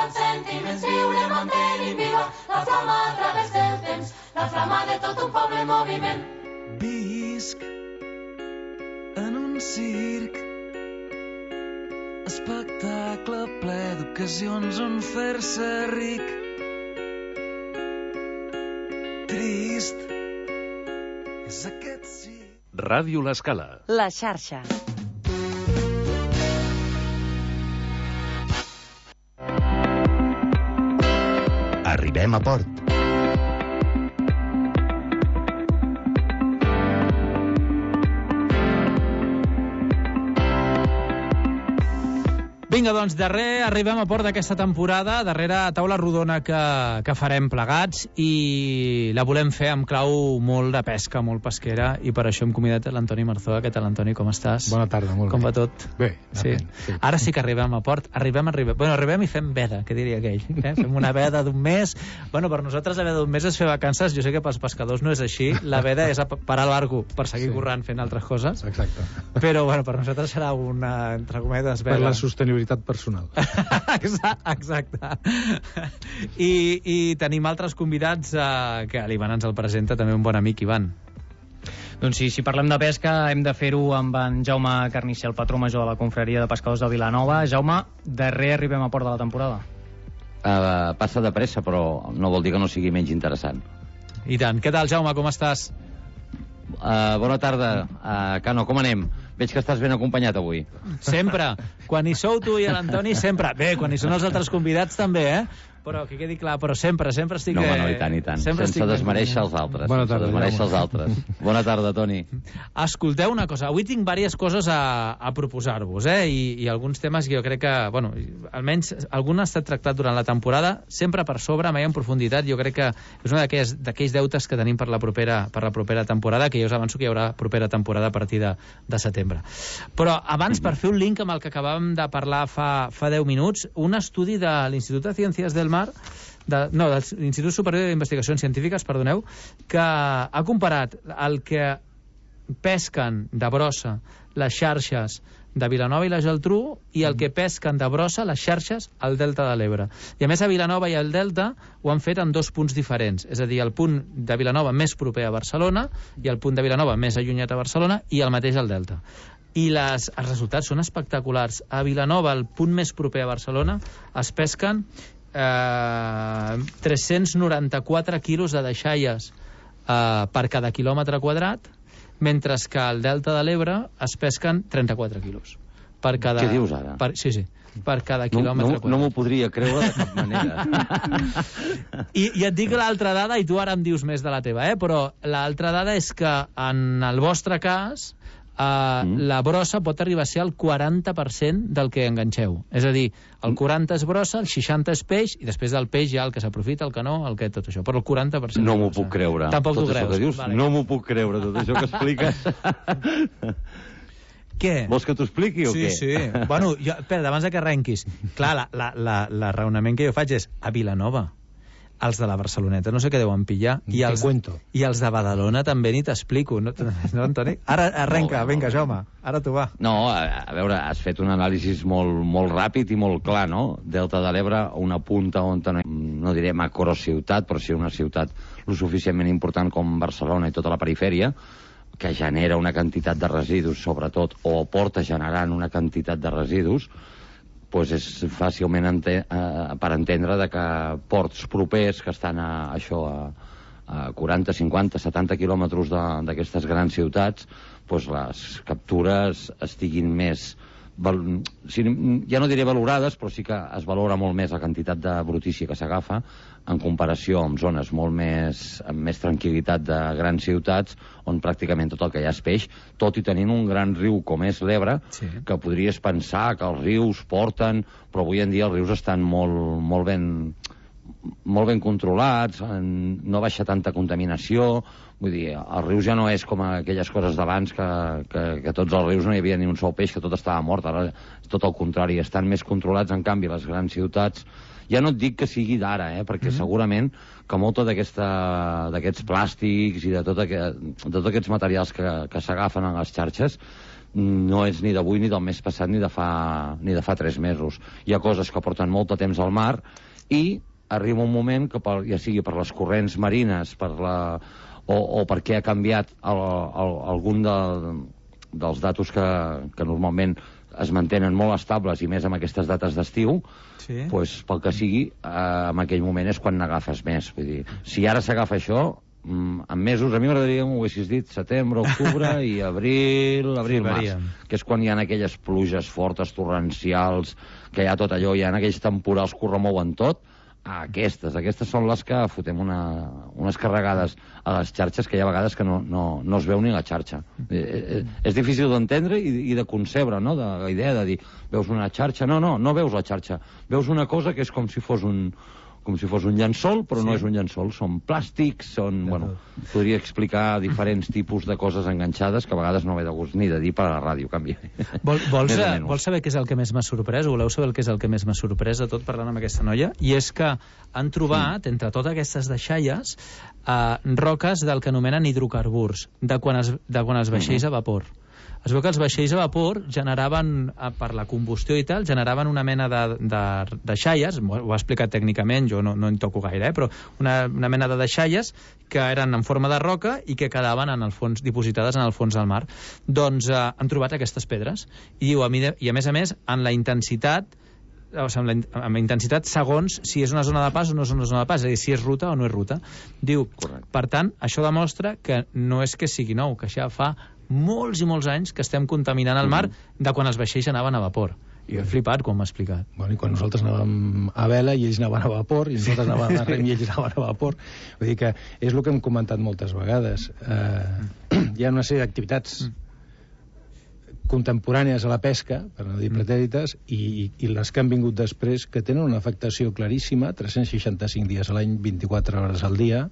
Sentiments viure fa de tot un poble en moviment. Visc en un circ, espectacle ple d'ocasions on fer-se ric. Trist és aquest sí. Ràdio L'Escala. La xarxa. Arribem a port. Vinga, doncs, arribem a port d'aquesta temporada, darrera taula rodona que farem plegats, i la volem fer amb clau molt de pesca, molt pesquera, i per això hem convidat l'Antoni Marzoa. Què tal, Antoni, com estàs? Bona tarda, molt bé. Com va tot? Bé. Sí. Ara sí que arribem a port. Arribem. Bueno, arribem i fem veda, que diria aquell. Fem una veda d'un mes. Bueno, per nosaltres la veda d'un mes és fer vacances. Jo sé que pels pescadors no és així. La veda és parar el barco per seguir corrent fent altres coses. Exacte. Però, bueno, per nosaltres serà una, entre cometes, veda. Per la sostenibilitat personal. Exacte. I tenim altres convidats que l'Ivan ens el presenta, també un bon amic, Ivan. Doncs sí, si parlem de pesca hem de fer-ho amb en Jaume Carnicer, el patró major de la confraria de pescadors de Vilanova. Jaume, darrer arribem a port de la temporada. Passa de pressa, però no vol dir que no sigui menys interessant. I tant. Què tal, Jaume, com estàs? Bona tarda. Cano, com anem? Veig que estàs ben acompanyat avui. Sempre. Quan hi sou tu i l'Antoni, sempre. Bé, quan hi són els altres convidats també, Però que quedi clar, però sempre estic... No, i tant. Sense desmereixer els altres. Bona tarda, Bona tarda, Toni. Escolteu una cosa, avui tinc diverses coses a proposar-vos, i alguns temes que jo crec que, bueno, almenys algun ha estat tractat durant la temporada, sempre per sobre, mai en profunditat. Jo crec que és un d'aquells deutes que tenim per la propera temporada, que jo us avanço que hi haurà propera temporada a partir de setembre. Però abans, per fer un link amb el que acabàvem de parlar fa 10 minuts, un estudi de l'Institut de Ciències del Mar, de l'Institut Superior d'Investigacions Científiques, perdoneu, que ha comparat el que pesquen de brossa les xarxes de Vilanova i la Geltrú i el que pesquen de brossa les xarxes al Delta de l'Ebre. I a més a Vilanova i al Delta ho han fet en 2 punts diferents, és a dir, el punt de Vilanova més proper a Barcelona i el punt de Vilanova més allunyat a Barcelona i el mateix al Delta. I els resultats són espectaculars. A Vilanova, el punt més proper a Barcelona, es pesquen 394 quilos de deixalles per cada quilòmetre quadrat, mentre que al Delta de l'Ebre es pesquen 34 quilos per cada... Què dius ara? Sí, per cada quilòmetre quadrat. No m'ho podria creure de cap manera. I et dic l'altra dada, i tu ara em dius més de la teva, però l'altra dada és que en el vostre cas la brossa pot arribar a ser el 40% del que enganxeu. És a dir, el 40 és brossa, el 60 és peix, i després del peix hi ha el que s'aprofita, el que no, el que tot això. Però el 40%... No m'ho puc creure. Tampoc t'ho creus. Dius, vale. No m'ho puc creure, tot això que expliques. Què? Vols que t'ho expliqui o què? Sí. Bueno, espera, abans que arrenquis. Clar, la raonament que jo faig és a Vilanova. Els de la Barceloneta no sé què deuen pillar. I els de Badalona també ni t'explico. No, Antoni? Ara arrenca, vinga, Jaume, ara tu va. No, a veure, has fet un anàlisi molt ràpid i molt clar, no? Delta de l'Ebre, una punta on no diré macrociutat, però sí una ciutat lo suficientment important com Barcelona i tota la perifèria, que genera una quantitat de residus, sobretot, o porta generant una quantitat de residus, doncs és fàcilment per entendre que ports propers que estan a 40, 50, 70 quilòmetres d'aquestes grans ciutats, doncs les captures estiguin més, ja no diré valorades, però sí que es valora molt més la quantitat de brutícia que s'agafa en comparació amb zones molt amb més tranquil·litat de grans ciutats on pràcticament tot el que hi ha és peix, tot i tenint un gran riu com és l'Ebre, que podries pensar que els rius porten, però avui en dia els rius estan molt ben controlats, no baixa tanta contaminació, vull dir, els rius ja no és com aquelles coses d'abans que tots els rius no hi havia ni un sol peix, que tot estava mort, ara és tot el contrari, estan més controlats. En canvi les grans ciutats, ja no et dic que sigui d'ara, perquè segurament que molta d'aquests plàstics i de tots aquests materials que s'agafen a les xarxes no és ni d'avui, ni del mes passat, ni de fa 3 mesos. Hi ha coses que porten molt de temps al mar i arriba un moment que, ja sigui per les corrents marines, o perquè ha canviat algun dels datos que normalment es mantenen molt estables, i més amb aquestes dates d'estiu, doncs, pel que sigui, en aquell moment és quan n'agafes més. Vull dir, si ara s'agafa això, en mesos, a mi m'agradaria, ho haguessis dit, setembre, octubre i abril, març, que és quan hi ha aquelles pluges fortes, torrencials, que hi ha tot allò, hi ha aquells temporals que ho remouen tot. Aquestes són les que fotem unes carregades a les xarxes que hi ha vegades que no es veu ni la xarxa. És difícil d'entendre i de concebre, no?, de la idea de dir, veus una xarxa? No veus la xarxa. Veus una cosa que és com si fos un llençol, però no és un llençol, són plàstics, podria explicar diferents tipus de coses enganxades que a vegades no ve de gust ni de dir per a la ràdio, canvia. Vols saber què és el que més m'ha sorprès, o voleu saber què és el que més m'ha sorprès de tot parlant amb aquesta noia? I és que han trobat, entre totes aquestes deixalles, roques del que anomenen hidrocarburs, de quan els vaixells a vapor. Es veu que els vaixells a vapor generaven, per la combustió i tal, generaven una mena de deixalles, ho ha explicat tècnicament, jo no en toco gaire, però una mena de deixalles que eren en forma de roca i que quedaven en el fons, dipositades en el fons del mar. Doncs han trobat aquestes pedres, i diu, i a més, en la intensitat, amb la intensitat segons si és una zona de pas o no és una zona de pas, és a dir, si és ruta o no és ruta. Diu, per tant, això demostra que no és que sigui nou, que ja fa molts i molts anys que estem contaminant el mar de quan els vaixells anaven a vapor. I he flipat quan m'ha explicat. Bueno, i quan nosaltres anàvem a vela i ells anaven a vapor, i nosaltres anàvem a rem i ells anaven a vapor. Vull dir que és el que hem comentat moltes vegades. Hi ha una sèrie d'activitats contemporànies a la pesca, per no dir pretèrites, i les que han vingut després, que tenen una afectació claríssima, 365 dies a l'any, 24 hores al dia,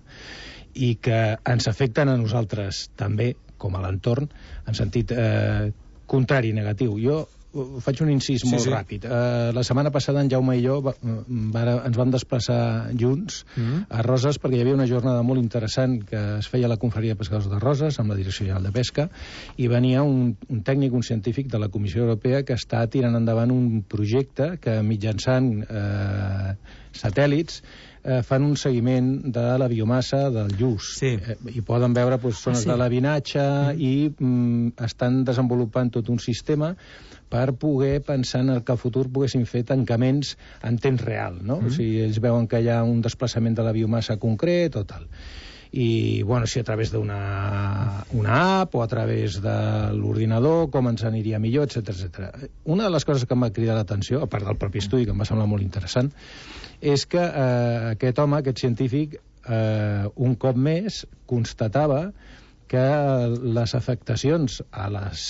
i que ens afecten a nosaltres també, com a l'entorn, en sentit contrari, negatiu. Jo faig un incís molt ràpid. La setmana passada en Jaume i jo ens vam desplaçar junts a Roses perquè hi havia una jornada molt interessant que es feia a la Confraria de Pescadors de Roses amb la Direcció General de Pesca, i venia un tècnic, un científic de la Comissió Europea que està tirant endavant un projecte que mitjançant satèl·lits fan un seguiment de la biomassa del lluç. I poden veure zones de labinatge i estan desenvolupant tot un sistema per poder pensar en el que al futur poguessin fer tancaments en temps real, no? O sigui, ells veuen que hi ha un desplaçament de la biomassa concret o tal. I, bueno, si a través d'una app o a través de l'ordinador, com ens aniria millor, etc. Una de les coses que em va cridar l'atenció, a part del propi estudi, que em va semblar molt interessant, és que aquest home, aquest científic, un cop més constatava que les afectacions a les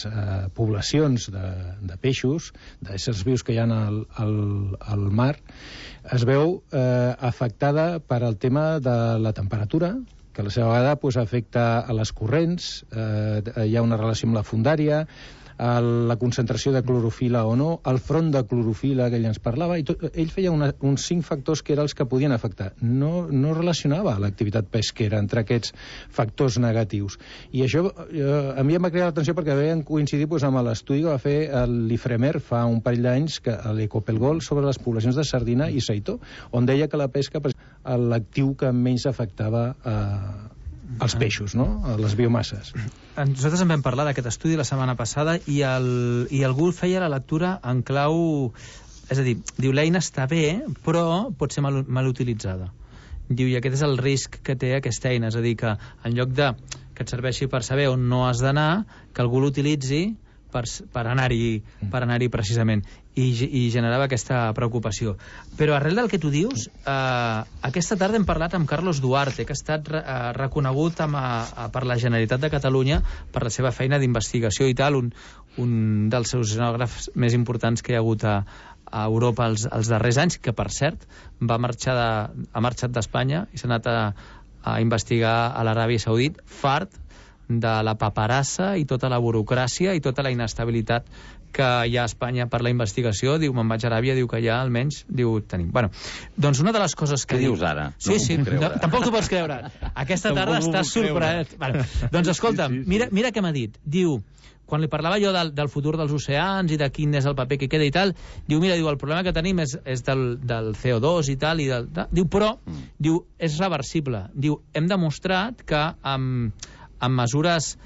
poblacions de peixos, d'éssers vius que hi ha al mar, es veu afectada per al tema de la temperatura, que a la seva vegada afecta a les corrents, hi ha una relació amb la fondària, la concentració de clorofila o no, el front de clorofila que ell ens parlava, i ell feia uns 5 factors que eren els que podien afectar. No relacionava l'activitat pesquera entre aquests factors negatius. I això a mi em va cridar l'atenció perquè vam coincidir amb l'estudi que va fer l'IFREMER fa un parell d'anys, a l'Ecopelgol, sobre les poblacions de sardina i seitó, on deia que la pesca l'actiu que menys afectava els peixos, no? Les biomasses. Nosaltres en vam parlar d'aquest estudi la setmana passada i algú feia la lectura en clau... És a dir, diu, l'eina està bé, però pot ser mal utilitzada. Diu, i aquest és el risc que té aquesta eina, és a dir, que en lloc de que et serveixi per saber on no has d'anar, que algú l'utilitzi per anar-hi precisament, i generava aquesta preocupació. Però arrel del que tu dius, aquesta tarda hem parlat amb Carlos Duarte, que ha estat reconegut per la Generalitat de Catalunya per la seva feina d'investigació i tal, un dels seus oceanògrafs més importants que hi ha hagut a Europa els darrers anys, que per cert ha marxat d'Espanya i s'ha anat a investigar a l'Aràbia Saudita, fart de la paperassa i tota la burocràcia i tota la inestabilitat que hi ha a Espanya per la investigació. Diu, me'n vaig a Aràbia, diu que allà almenys tenim. Bueno, doncs una de les coses que... Què dius ara? Sí, tampoc t'ho pots creure. Aquesta tarda estàs sorprès. Doncs escolta'm, mira què m'ha dit. Diu, quan li parlava jo del futur dels oceans i de quin és el paper que queda i tal, diu, mira, el problema que tenim és del CO2 i tal, diu, però, és reversible. Diu, hem demostrat que amb mesures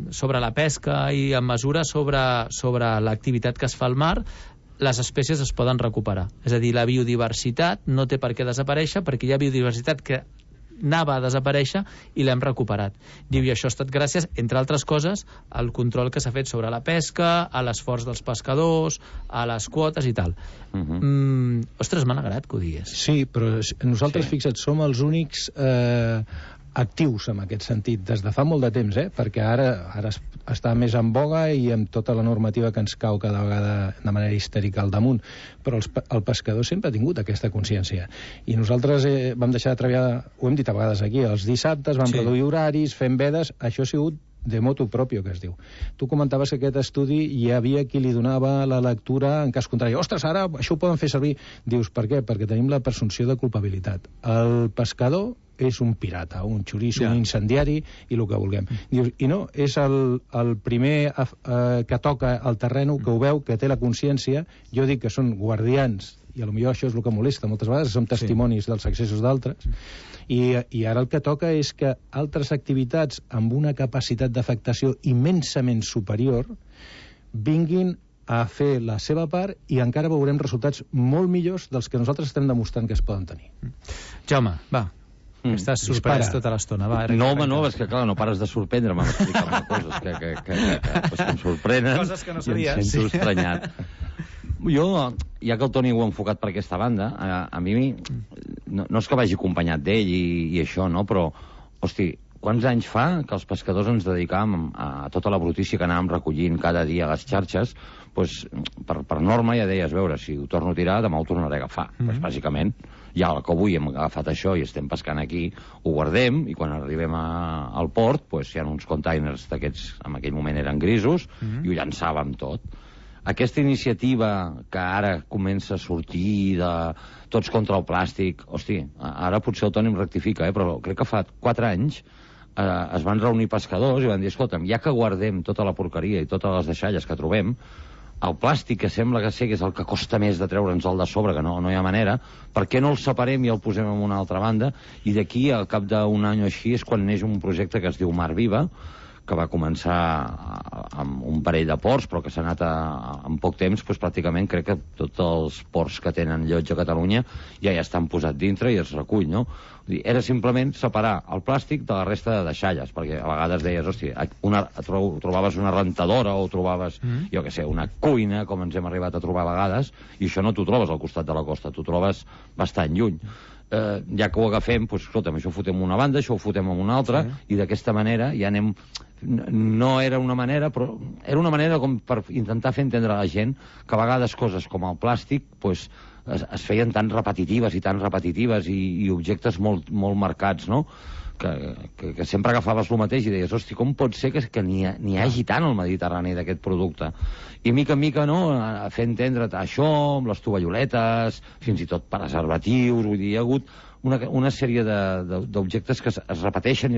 sobre la pesca i amb mesures sobre l'activitat que es fa al mar, les espècies es poden recuperar. És a dir, la biodiversitat no té per què desaparèixer, perquè hi ha biodiversitat que anava a desaparèixer i l'hem recuperat. Diu, i això ha estat gràcies, entre altres coses, al control que s'ha fet sobre la pesca, a l'esforç dels pescadors, a les quotes i tal. Ostres, m'ha agradat que ho digués. Sí, però nosaltres, fixa't, som els únics actius en aquest sentit, des de fa molt de temps, perquè ara està més en boga i amb tota la normativa que ens cau cada vegada de manera histèrica al damunt, però el pescador sempre ha tingut aquesta consciència. I nosaltres vam deixar de treballar, ho hem dit a vegades aquí, els dissabtes vam reduir horaris, fent vedes, això ha sigut de motu propio, que es diu. Tu comentaves que aquest estudi hi havia qui li donava la lectura en cas contrari. Ostres, ara això ho poden fer servir. Dius, per què? Perquè tenim la presumpció de culpabilitat. El pescador és un pirata, un xoriço, un incendiari i el que vulguem. Dius, i no, és el primer que toca el terreno, que ho veu, que té la consciència. Jo dic que són guardians, i potser això és el que molesta moltes vegades, som testimonis dels excessos d'altres, i ara el que toca és que altres activitats amb una capacitat d'afectació immensament superior vinguin a fer la seva part i encara veurem resultats molt millors dels que nosaltres estem demostrant que es poden tenir. Jaume, va. Estàs sorprès tota l'estona. No, home, no, és que clar, no pares de sorprendre'm amb explicar-me coses que em sorprenen. Coses que no sabies. I em sento estranyat. Jo, ja que el Toni ho ha enfocat per aquesta banda, a mi no és que vagi acompanyat d'ell i això, no? Però, hosti, quants anys fa que els pescadors ens dedicàvem a tota la brutícia que anàvem recollint cada dia a les xarxes, doncs, per norma ja deies, veure, si ho torno a tirar, demà ho tornaré a agafar. Doncs, bàsicament, ja que avui hem agafat això i estem pescant aquí, ho guardem, i quan arribem al port, doncs, hi ha uns containers d'aquests, en aquell moment eren grisos, i ho llançàvem tot. Aquesta iniciativa que ara comença a sortir de tots contra el plàstic, hosti, ara potser el Toni em rectifica, però crec que fa 4 anys es van reunir pescadors i van dir, escolta'm, ja que guardem tota la porqueria i totes les deixalles que trobem, el plàstic, que sembla que és el que costa més de treure'ns el de sobre, que no hi ha manera, per què no el separem i el posem en una altra banda? I d'aquí, al cap d'un any o així, és quan neix un projecte que es diu Mar Viva, que va començar amb un parell de ports, però que s'ha anat en poc temps, doncs pràcticament crec que tots els ports que tenen llotja a Catalunya ja estan posats dintre i es recull, no? Era simplement separar el plàstic de la resta de deixalles, perquè a vegades deies, hòstia, trobaves una rentadora o trobaves, jo què sé, una cuina, com ens hem arribat a trobar a vegades, i això no t'ho trobes al costat de la costa, t'ho trobes bastant lluny. Ja que ho agafem, doncs, escolta'm, això ho fotem en una banda, això ho fotem en una altra, i d'aquesta manera ja anem... No era una manera, però era una manera com per intentar fer entendre a la gent que a vegades coses com el plàstic es feien tan repetitives i objectes molt marcats, no? Que sempre agafaves el mateix i deies, hosti, com pot ser que n'hi hagi tant al Mediterrani d'aquest producte? I mica en mica, no?, a fer entendre això amb les tovalloletes, fins i tot preservatius, vull dir, hi ha hagut una sèrie d'objectes que es repeteixen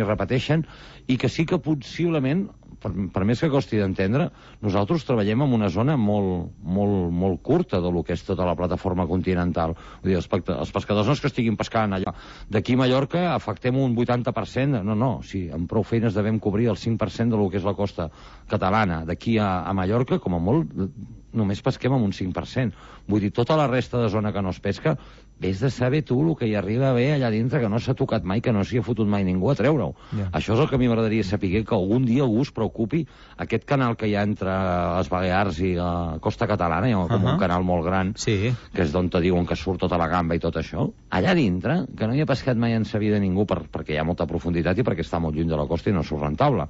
i que sí que possiblement, per més que costi d'entendre, nosaltres treballem en una zona molt curta del que és tota la plataforma continental. Vull dir, els pescadors no és que estiguin pescant allò. D'aquí a Mallorca afectem un 80%, no, si amb prou feines devem cobrir el 5% del que és la costa catalana. D'aquí a Mallorca, com a molt, només pesquem amb un 5%. Vull dir, tota la resta de zona que no es pesca, vés de saber tu el que hi arriba a haver allà dintre, que no s'ha tocat mai, que no s'hi ha fotut mai ningú a treure-ho. Això és el que a mi m'agradaria saber, que algun dia algú es preocupi. Aquest canal que hi ha entre les Balears i la costa catalana, hi ha com un canal molt gran, que és d'on te diuen que surt tota la gamba i tot això, allà dintre, que no hi ha pescat mai en sa vida ningú, perquè hi ha molta profunditat i perquè està molt lluny de la costa i no surt rentable.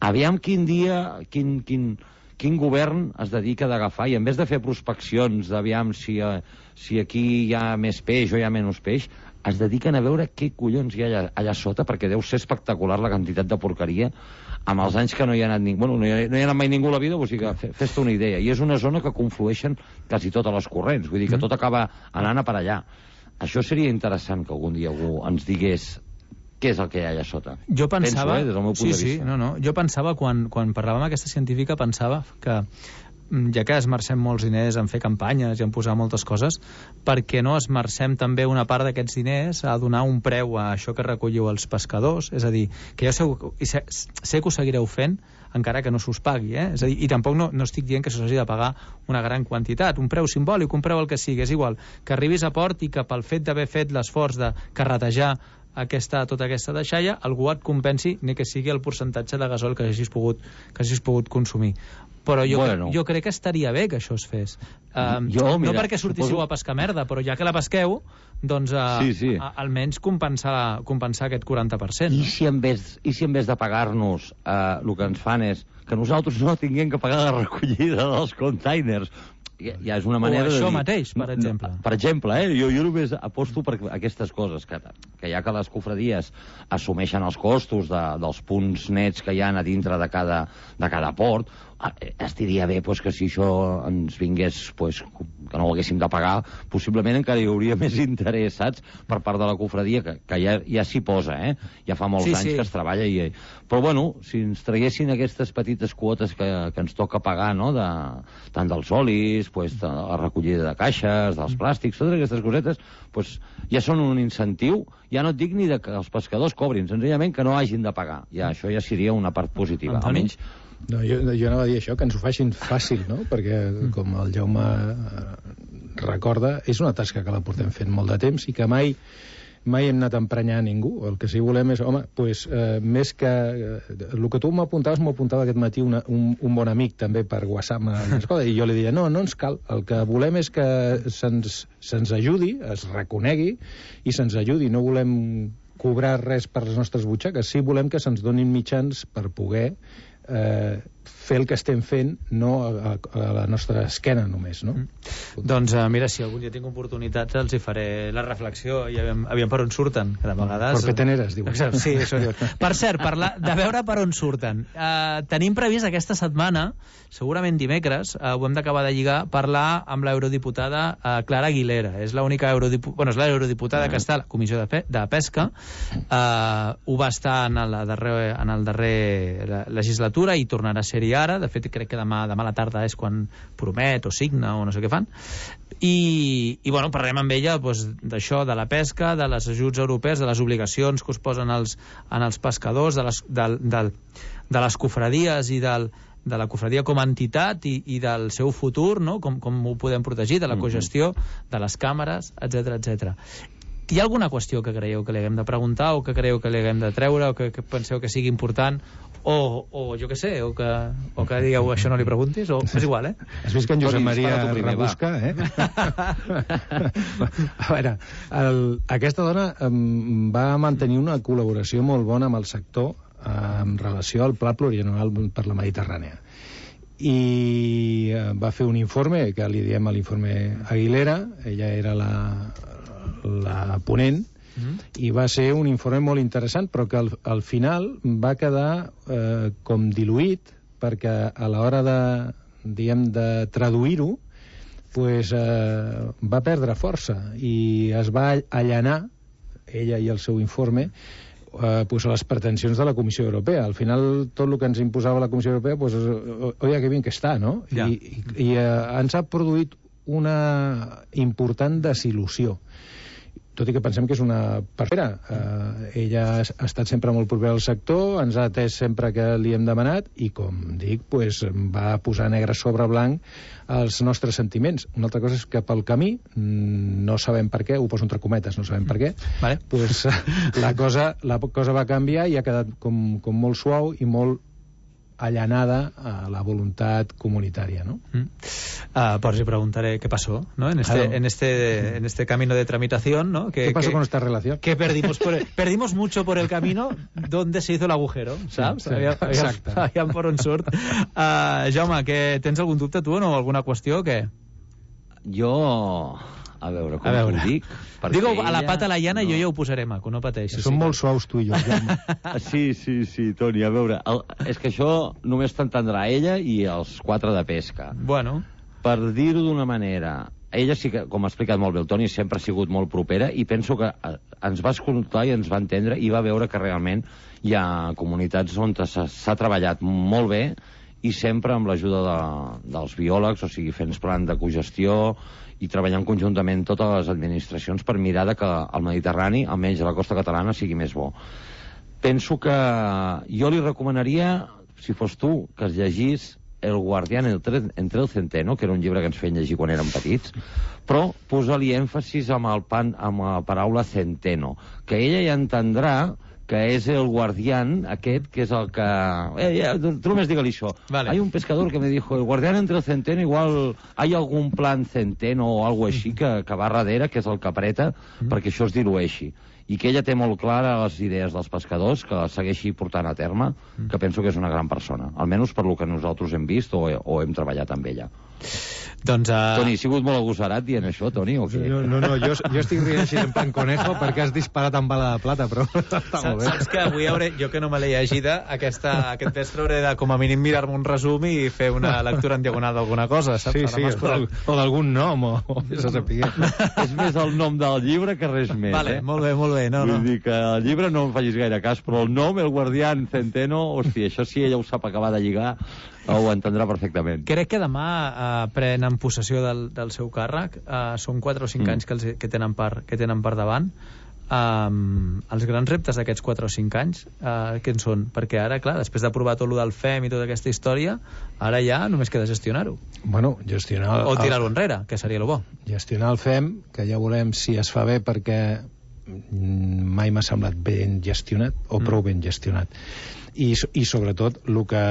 Aviam quin dia, quin govern es dedica d'agafar, i en vez de fer prospeccions d'aviam si aquí hi ha més peix o hi ha menys peix, es dediquen a veure què collons hi ha allà sota, perquè deu ser espectacular la quantitat de porqueria amb els anys que no hi ha anat ningú. Bueno, no hi ha anat mai ningú a la vida, o sigui que fes-te una idea. I és una zona que conflueixen quasi totes les corrents, vull dir que tot acaba anant a per allà. Això seria interessant que algun dia algú ens digués què és el que hi ha allà sota. Jo pensava... Penso, des del meu punt de vista. No. Jo pensava, quan parlàvem amb aquesta científica, pensava que ja que esmercem molts diners en fer campanyes i en posar moltes coses, perquè no esmercem també una part d'aquests diners a donar un preu a això que recolliu els pescadors? És a dir, que jo sé que ho seguireu fent encara que no s'us pagui, És a dir, i tampoc no estic dient que s'hagi de pagar una gran quantitat, un preu simbòlic, un preu el que sigui, és igual que arribis a port i que pel fet d'haver fet l'esforç de carretejar tota aquesta deixalla, algú et compensi, ni que sigui el percentatge de gasol que hagis pogut consumir. Però jo crec que estaria bé que això es fes. No perquè sortíssiu a pescar merda, però ja que la pesqueu, doncs almenys compensar aquest 40%. I si en vez de pagar-nos el que ens fan és que nosaltres no tinguem que pagar la recollida dels containers, ja és una manera de dir... O això mateix, per exemple. Per exemple, jo només aposto per aquestes coses, que ja que les cofradies assumeixen els costos dels punts nets que hi ha a dintre de cada port, es diria bé que si això ens vingués, que no ho haguéssim de pagar, possiblement encara hi hauria més interès, saps?, per part de la cofradia, que ja s'hi posa, ja fa molts anys que es treballa. Però, bueno, si ens traguessin aquestes petites quotes que ens toca pagar, no?, tant dels olis, de la recollida de caixes, dels plàstics, totes aquestes cosetes, ja són un incentiu. Ja no et dic ni que els pescadors cobrin, senzillament que no hagin de pagar. Això ja seria una part positiva. Almenys... No, jo anava a dir això, que ens ho facin fàcil, no? Perquè, com el Jaume recorda, és una tasca que la portem fent molt de temps i que mai hem anat a emprenyar ningú. El que sí volem és, més que... El que tu m'apuntava aquest matí un bon amic també per WhatsApp, i jo li deia, no ens cal. El que volem és que se'ns ajudi, es reconegui i se'ns ajudi. No volem cobrar res per les nostres butxaques. Sí volem que se'ns donin mitjans per poder fer el que estem fent, no a la nostra esquena només, no? Doncs mira, si algun dia tinc oportunitats els hi faré la reflexió i aviam per on surten, que de vegades... Per peteneres, diuen. Sí, això diuen. Per cert, de veure per on surten. Tenim previst aquesta setmana, segurament dimecres, ho hem d'acabar de lligar, parlar amb l'eurodiputada Clara Aguilera. És l'única l'eurodiputada que està a la Comissió de Pesca. Ho va estar en el darrer legislatura i tornarà a ser-hi ara. De fet, crec que demà a la tarda és quan promet o signa o no sé què fan. I parlarem amb ella d'això, de la pesca, de les ajuts europees, de les obligacions que us posen els pescadors, de les cofradies i de la cofradia com a entitat i del seu futur, no? Com ho podem protegir, de la cogestió, de les càmeres, etc. Hi ha alguna qüestió que creieu que li haguem de preguntar o que creieu que li haguem de treure o que penseu que sigui important o jo què sé, o que digueu això no li preguntis, o és igual, Has vist que en Josep Maria rebusca, A veure, aquesta dona va mantenir una col·laboració molt bona amb el sector en relació al Pla Plurianual per la Mediterrània. I va fer un informe, que li diem l'informe Aguilera, ella era la ponent, i va ser un informe molt interessant, però que al final va quedar com diluït, perquè a l'hora de traduir-ho va perdre força i es va allanar, ella i el seu informe, a les pretensions de la Comissió Europea. Al final, tot el que ens imposava la Comissió Europea, oye, que bien que està, no? Ja. I ens ha produït una important desil·lusió. Tot i que pensem que és una perfera. Ella ha estat sempre molt propera al sector, ens ha atès sempre que li hem demanat i, com dic, va posar negre sobre blanc els nostres sentiments. Una altra cosa és que pel camí, no sabem per què, ho poso entre cometes, no sabem per què, la cosa va canviar i ha quedat com molt suau i molt allanada a la voluntat comunitària, ¿no? Pues le preguntaré qué pasó, ¿no? En este camino de tramitación, ¿no? ¿Qué pasó con esta relación? Que perdimos mucho por el camino donde se hizo el agujero, ¿sabes? Sí, exacte. Aviam per on surt. Jaume, tens algun dubte tu o alguna qüestió o què? Jo... A veure, com ho dic? Digue a la pata a la llana i jo ja ho posaré maco, no pateixis. Són molt suaus tu i jo, Jaume. Sí, Toni, a veure, és que això només t'entendrà ella i els 4 de pesca. Bueno. Per dir-ho d'una manera, ella sí que, com ha explicat molt bé el Toni, sempre ha sigut molt propera i penso que ens va escoltar i ens va entendre i va veure que realment hi ha comunitats on s'ha treballat molt bé i sempre amb l'ajuda dels biòlegs, o sigui, fent plan de cogestió i treballant conjuntament totes les administracions per mirar que el Mediterrani, almenys a la costa catalana, sigui més bo. Penso que jo li recomanaria, si fos tu, que es llegís El guardián entre el centeno, que era un llibre que ens feien llegir quan érem petits, però posa-li èmfasis amb la paraula centeno, que ella ja entendrà que és el guardián aquest, que és el que... tu només digue-li això. Vale. Hay un pescador que me dijo, el guardián entre el centeno, igual hay algún plan centeno o algo així que va darrere, que és el que apreta, perquè això es dilueixi. I que ella té molt clara les idees dels pescadors, que les segueixi portant a terme, que penso que és una gran persona, almenys per lo que nosaltres hem vist o hem treballat amb ella. Doncs, Toni, he sigut molt agosarat dient això, Toni, o què? No, jo estic rient així en plan conejo perquè has disparat amb bala de plata, però està molt bé. Saps que avui jo que no me l'he llegida, aquest vespre hauré de com a mínim mirar-me un resum i fer una lectura en diagonal d'alguna cosa, saps? Sí, o d'algun nom, o més a saber. És més el nom del llibre que res més, Vale, molt bé. Vull dir que el llibre no em facis gaire cas, però el nom, el guardián centeno, hòstia, això si ella ho sap acabar de lligar, ho entendrà perfectament. Crec que demà prenen possessió del seu càrrec. Són 4 o 5 anys que tenen per davant. Els grans reptes d'aquests 4 o 5 anys, què en són? Perquè ara, clar, després d'aprovar tot el del FEM i tota aquesta història, ara ja només queda gestionar-ho. Bueno, gestionar... O tirar-ho enrere, que seria el bo. Gestionar el FEM, que ja veurem si es fa bé, perquè mai m'ha semblat ben gestionat, o prou ben gestionat. I sobretot el que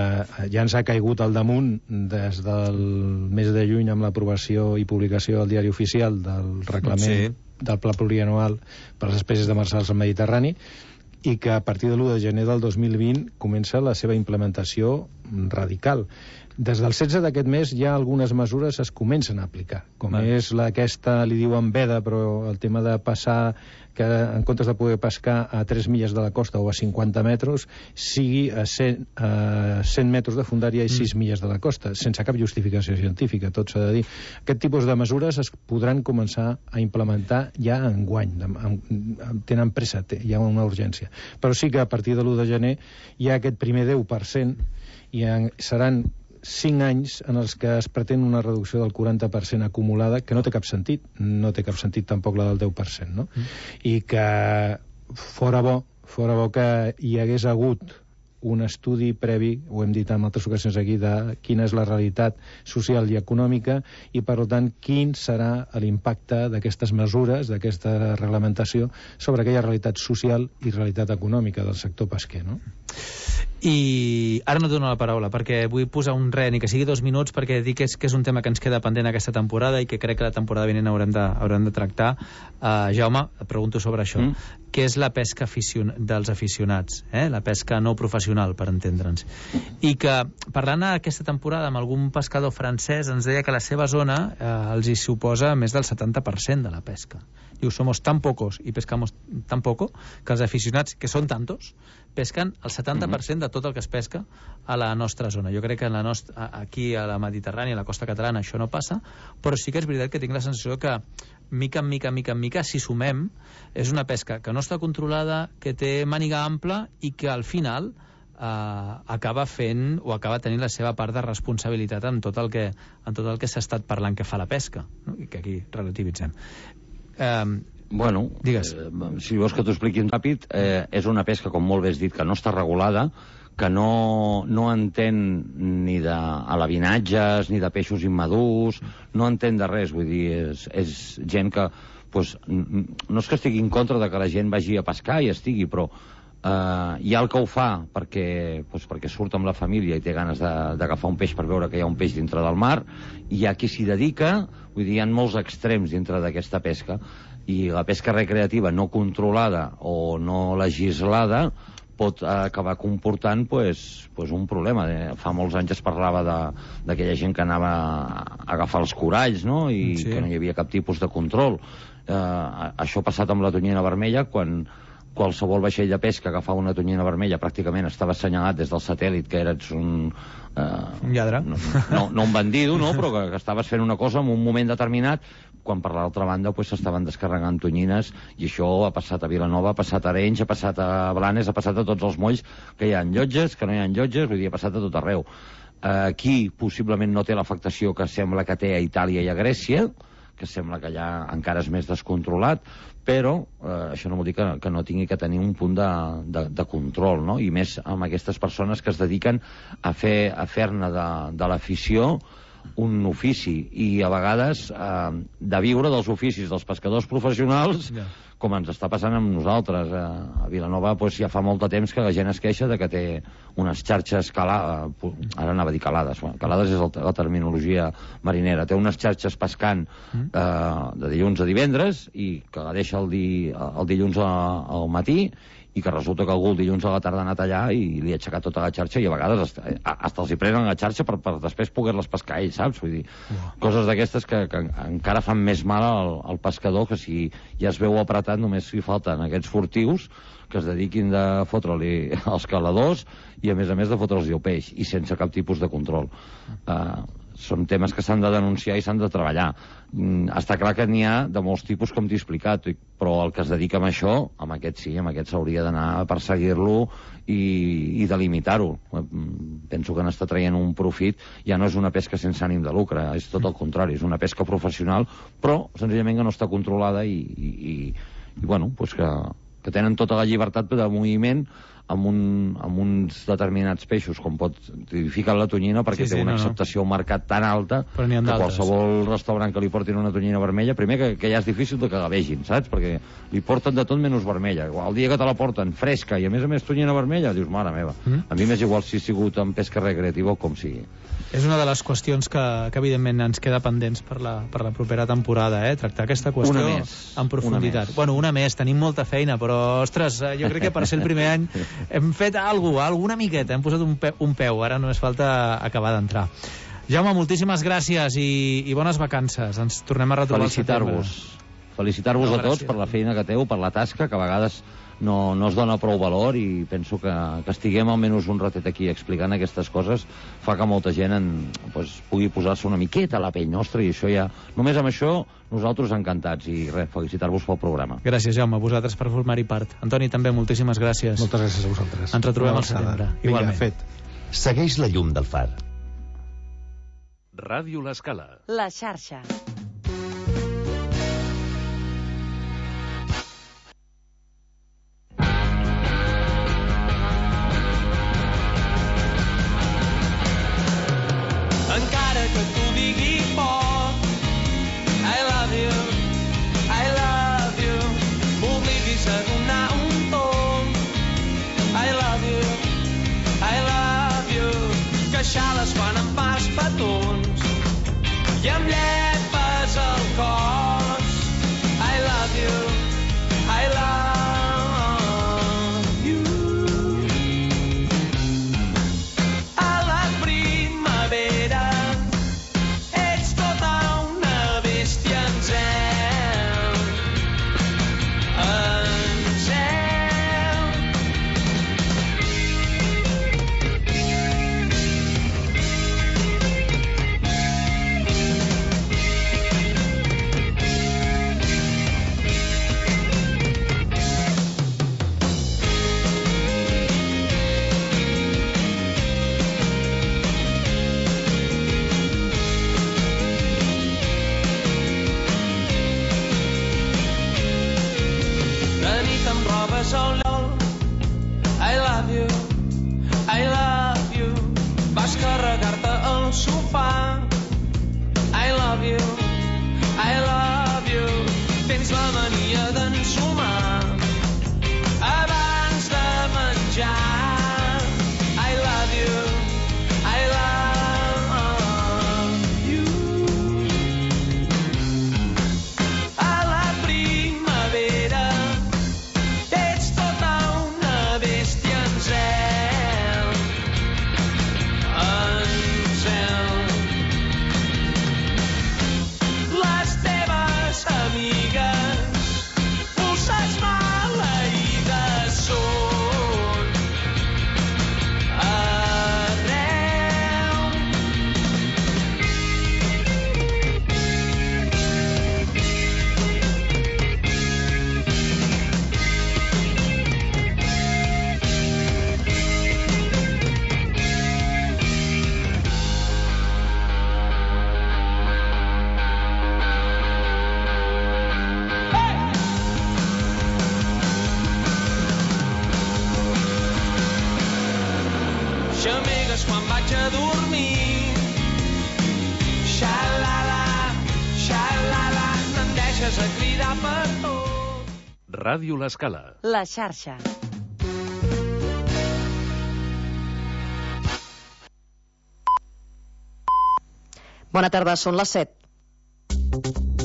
ja ens ha caigut al damunt des del mes de juny amb l'aprovació i publicació al diari oficial del reglament del pla plurianual per les espècies demersals al Mediterrani, i que a partir de l'1 de gener del 2020 comença la seva implementació radical. Des del 16 d'aquest mes ja algunes mesures es comencen a aplicar, com és aquesta, li diuen veda, però el tema de passar, que en comptes de poder pescar a 3 milles de la costa o a 50 metres, sigui a 100 metres de fondària i 6 milles de la costa, sense cap justificació científica, tot s'ha de dir. Aquest tipus de mesures es podran començar a implementar ja enguany, tenen pressa, hi ha una urgència. Però sí que a partir de l'1 de gener hi ha aquest primer 10% i seran 5 anys en els que es pretén una reducció del 40% acumulada, que no té cap sentit, no té cap sentit tampoc la del 10%, no? I que fora bo que hi hagués hagut un estudi previ, ho hem dit en altres ocasions aquí, de quina és la realitat social i econòmica i, per tant, quin serà l'impacte d'aquestes mesures, d'aquesta reglamentació, sobre aquella realitat social i realitat econòmica del sector pesquer, no? I ara no et dono la paraula perquè vull posar un ren i que sigui 2 minuts perquè dic que és un tema que ens queda pendent aquesta temporada i que crec que la temporada vinent haurem de tractar. Jaume, et pregunto sobre això. Què és la pesca dels aficionats? La pesca no professional, per entendre'ns. I que, parlant aquesta temporada amb algun pescador francès, ens deia que la seva zona els hi suposa més del 70% de la pesca. Diu, somos tan pocos y pescamos tan poco que els aficionats, que són tantos, pesquen el 70% de tot el que es pesca a la nostra zona. Jo crec que aquí a la Mediterrània, a la costa catalana, això no passa, però sí que és veritat que tinc la sensació que mica en mica, si sumem, és una pesca que no està controlada, que té màniga ampla i que al final acaba fent o acaba tenint la seva part de responsabilitat en tot el que s'ha estat parlant que fa la pesca, no? I que aquí relativitzem. Bueno, si vols que t'ho expliqui ràpid, és una pesca, com molt bé has dit, que no està regulada, que no entén ni d'alavinatges, ni de peixos immadurs, no entén de res, vull dir, és gent que, no és que estigui en contra de que la gent vagi a pescar i estigui, però hi ha el que ho fa perquè surt amb la família i té ganes d'agafar un peix per veure que hi ha un peix dintre del mar, i hi ha qui s'hi dedica, vull dir, hi ha molts extrems dintre d'aquesta pesca, i la pesca recreativa no controlada o no legislada pot acabar comportant un problema. Fa molts anys es parlava d'aquella gent que anava a agafar els coralls, no? I que no hi havia cap tipus de control. Això ha passat amb la tonyina vermella, quan qualsevol vaixell de pesca agafava una tonyina vermella pràcticament estava assenyalat des del satèl·lit que eres un lladre, no un bandido, no? Però que estaves fent una cosa en un moment determinat quan per l'altra banda s'estaven descarregant tonyines, i això ha passat a Vilanova, ha passat a Arenys, ha passat a Blanes, ha passat a tots els molls, que hi ha llotges, que no hi ha llotges, vull dir, ha passat a tot arreu. Aquí possiblement no té l'afectació que sembla que té a Itàlia i a Grècia, que sembla que allà encara és més descontrolat, però això no vol dir que no tingui que tenir un punt de control, no? I més amb aquestes persones que es dediquen a fer-ne de l'afició un ofici, i a vegades de viure dels oficis dels pescadors professionals, com ens està passant amb nosaltres. A Vilanova ja fa molt de temps que la gent es queixa de que té unes xarxes calades, ara anava a dir calades, calades és la terminologia marinera, té unes xarxes pescant de dilluns a divendres, i que la deixa el dilluns al matí, i que resulta que algú el dilluns a la tarda ha anat allà i li ha aixecat tota la xarxa, i a vegades hasta els hi prenen la xarxa per després poder-les pescar ells, saps? Vull dir, coses d'aquestes que encara fan més mal al pescador, que si ja es veu apretat només li falten aquests furtius que es dediquin de fotre-li els caladors i a més de fotre-los el peix, i sense cap tipus de control. Són temes que s'han de denunciar i s'han de treballar. Està clar que n'hi ha de molts tipus, com t'he explicat, però el que es dedica a això, amb aquest sí, amb aquest s'hauria d'anar a perseguir-lo i delimitar-ho. Penso que n'està traient un profit. Ja no és una pesca sense ànim de lucre, és tot el contrari, és una pesca professional, però senzillament que no està controlada i bueno, que tenen tota la llibertat de moviment amb uns determinats peixos, com tipificar la tonyina, perquè té una acceptació al mercat tan alta que qualsevol restaurant que li portin una tonyina vermella, primer que ja és difícil de que la vegin, saps? Perquè li porten de tot menys vermella. El dia que te la porten fresca i a més tonyina vermella, dius, mare meva, a mi m'és igual si ha sigut en pesca recreativa o com sigui. És una de les qüestions que evidentment ens queda pendents per la propera temporada, tractar aquesta qüestió en profunditat. Una més, tenim molta feina, però, ostres, jo crec que per ser el primer any hem fet alguna miqueta, hem posat un peu, ara només falta acabar d'entrar. Jaume, moltíssimes gràcies i bones vacances. Ens tornem a retrobar al setembre. Felicitar-vos a tots per la feina que teniu, per la tasca, que a vegades no es dona prou valor, i penso que estiguem almenys un ratet aquí explicant aquestes coses fa que molta gent pugui posar-se una miqueta a la pell nostra, i això ja, només amb això nosaltres encantats, i felicitar-vos pel programa. Gràcies, Jaume, a vosaltres per formar-hi part. Antoni, també moltíssimes gràcies. Moltes gràcies a vosaltres. Ens retrobem al setembre. Igualment. Fet. Segueix la llum del far. Ràdio L'Escala. La xarxa. Encara que t'ho digui poc, I love you, m'oblidis a donar un tomb, I love you, queixades quan em fas petons i em llepes el cos, I love you, I love you. A la primavera ets tota una bèstia en zel, en zel. De nit em robes el I love you, vas carregar-te al sofà, I love you, tens la mania d'ensumar abans de menjar, I love you, I love you. A la primavera ets tota una bèstia en zel, en zel. vés a cridar per tot. Ràdio L'Escala. La xarxa. Bona tarda, són les 7.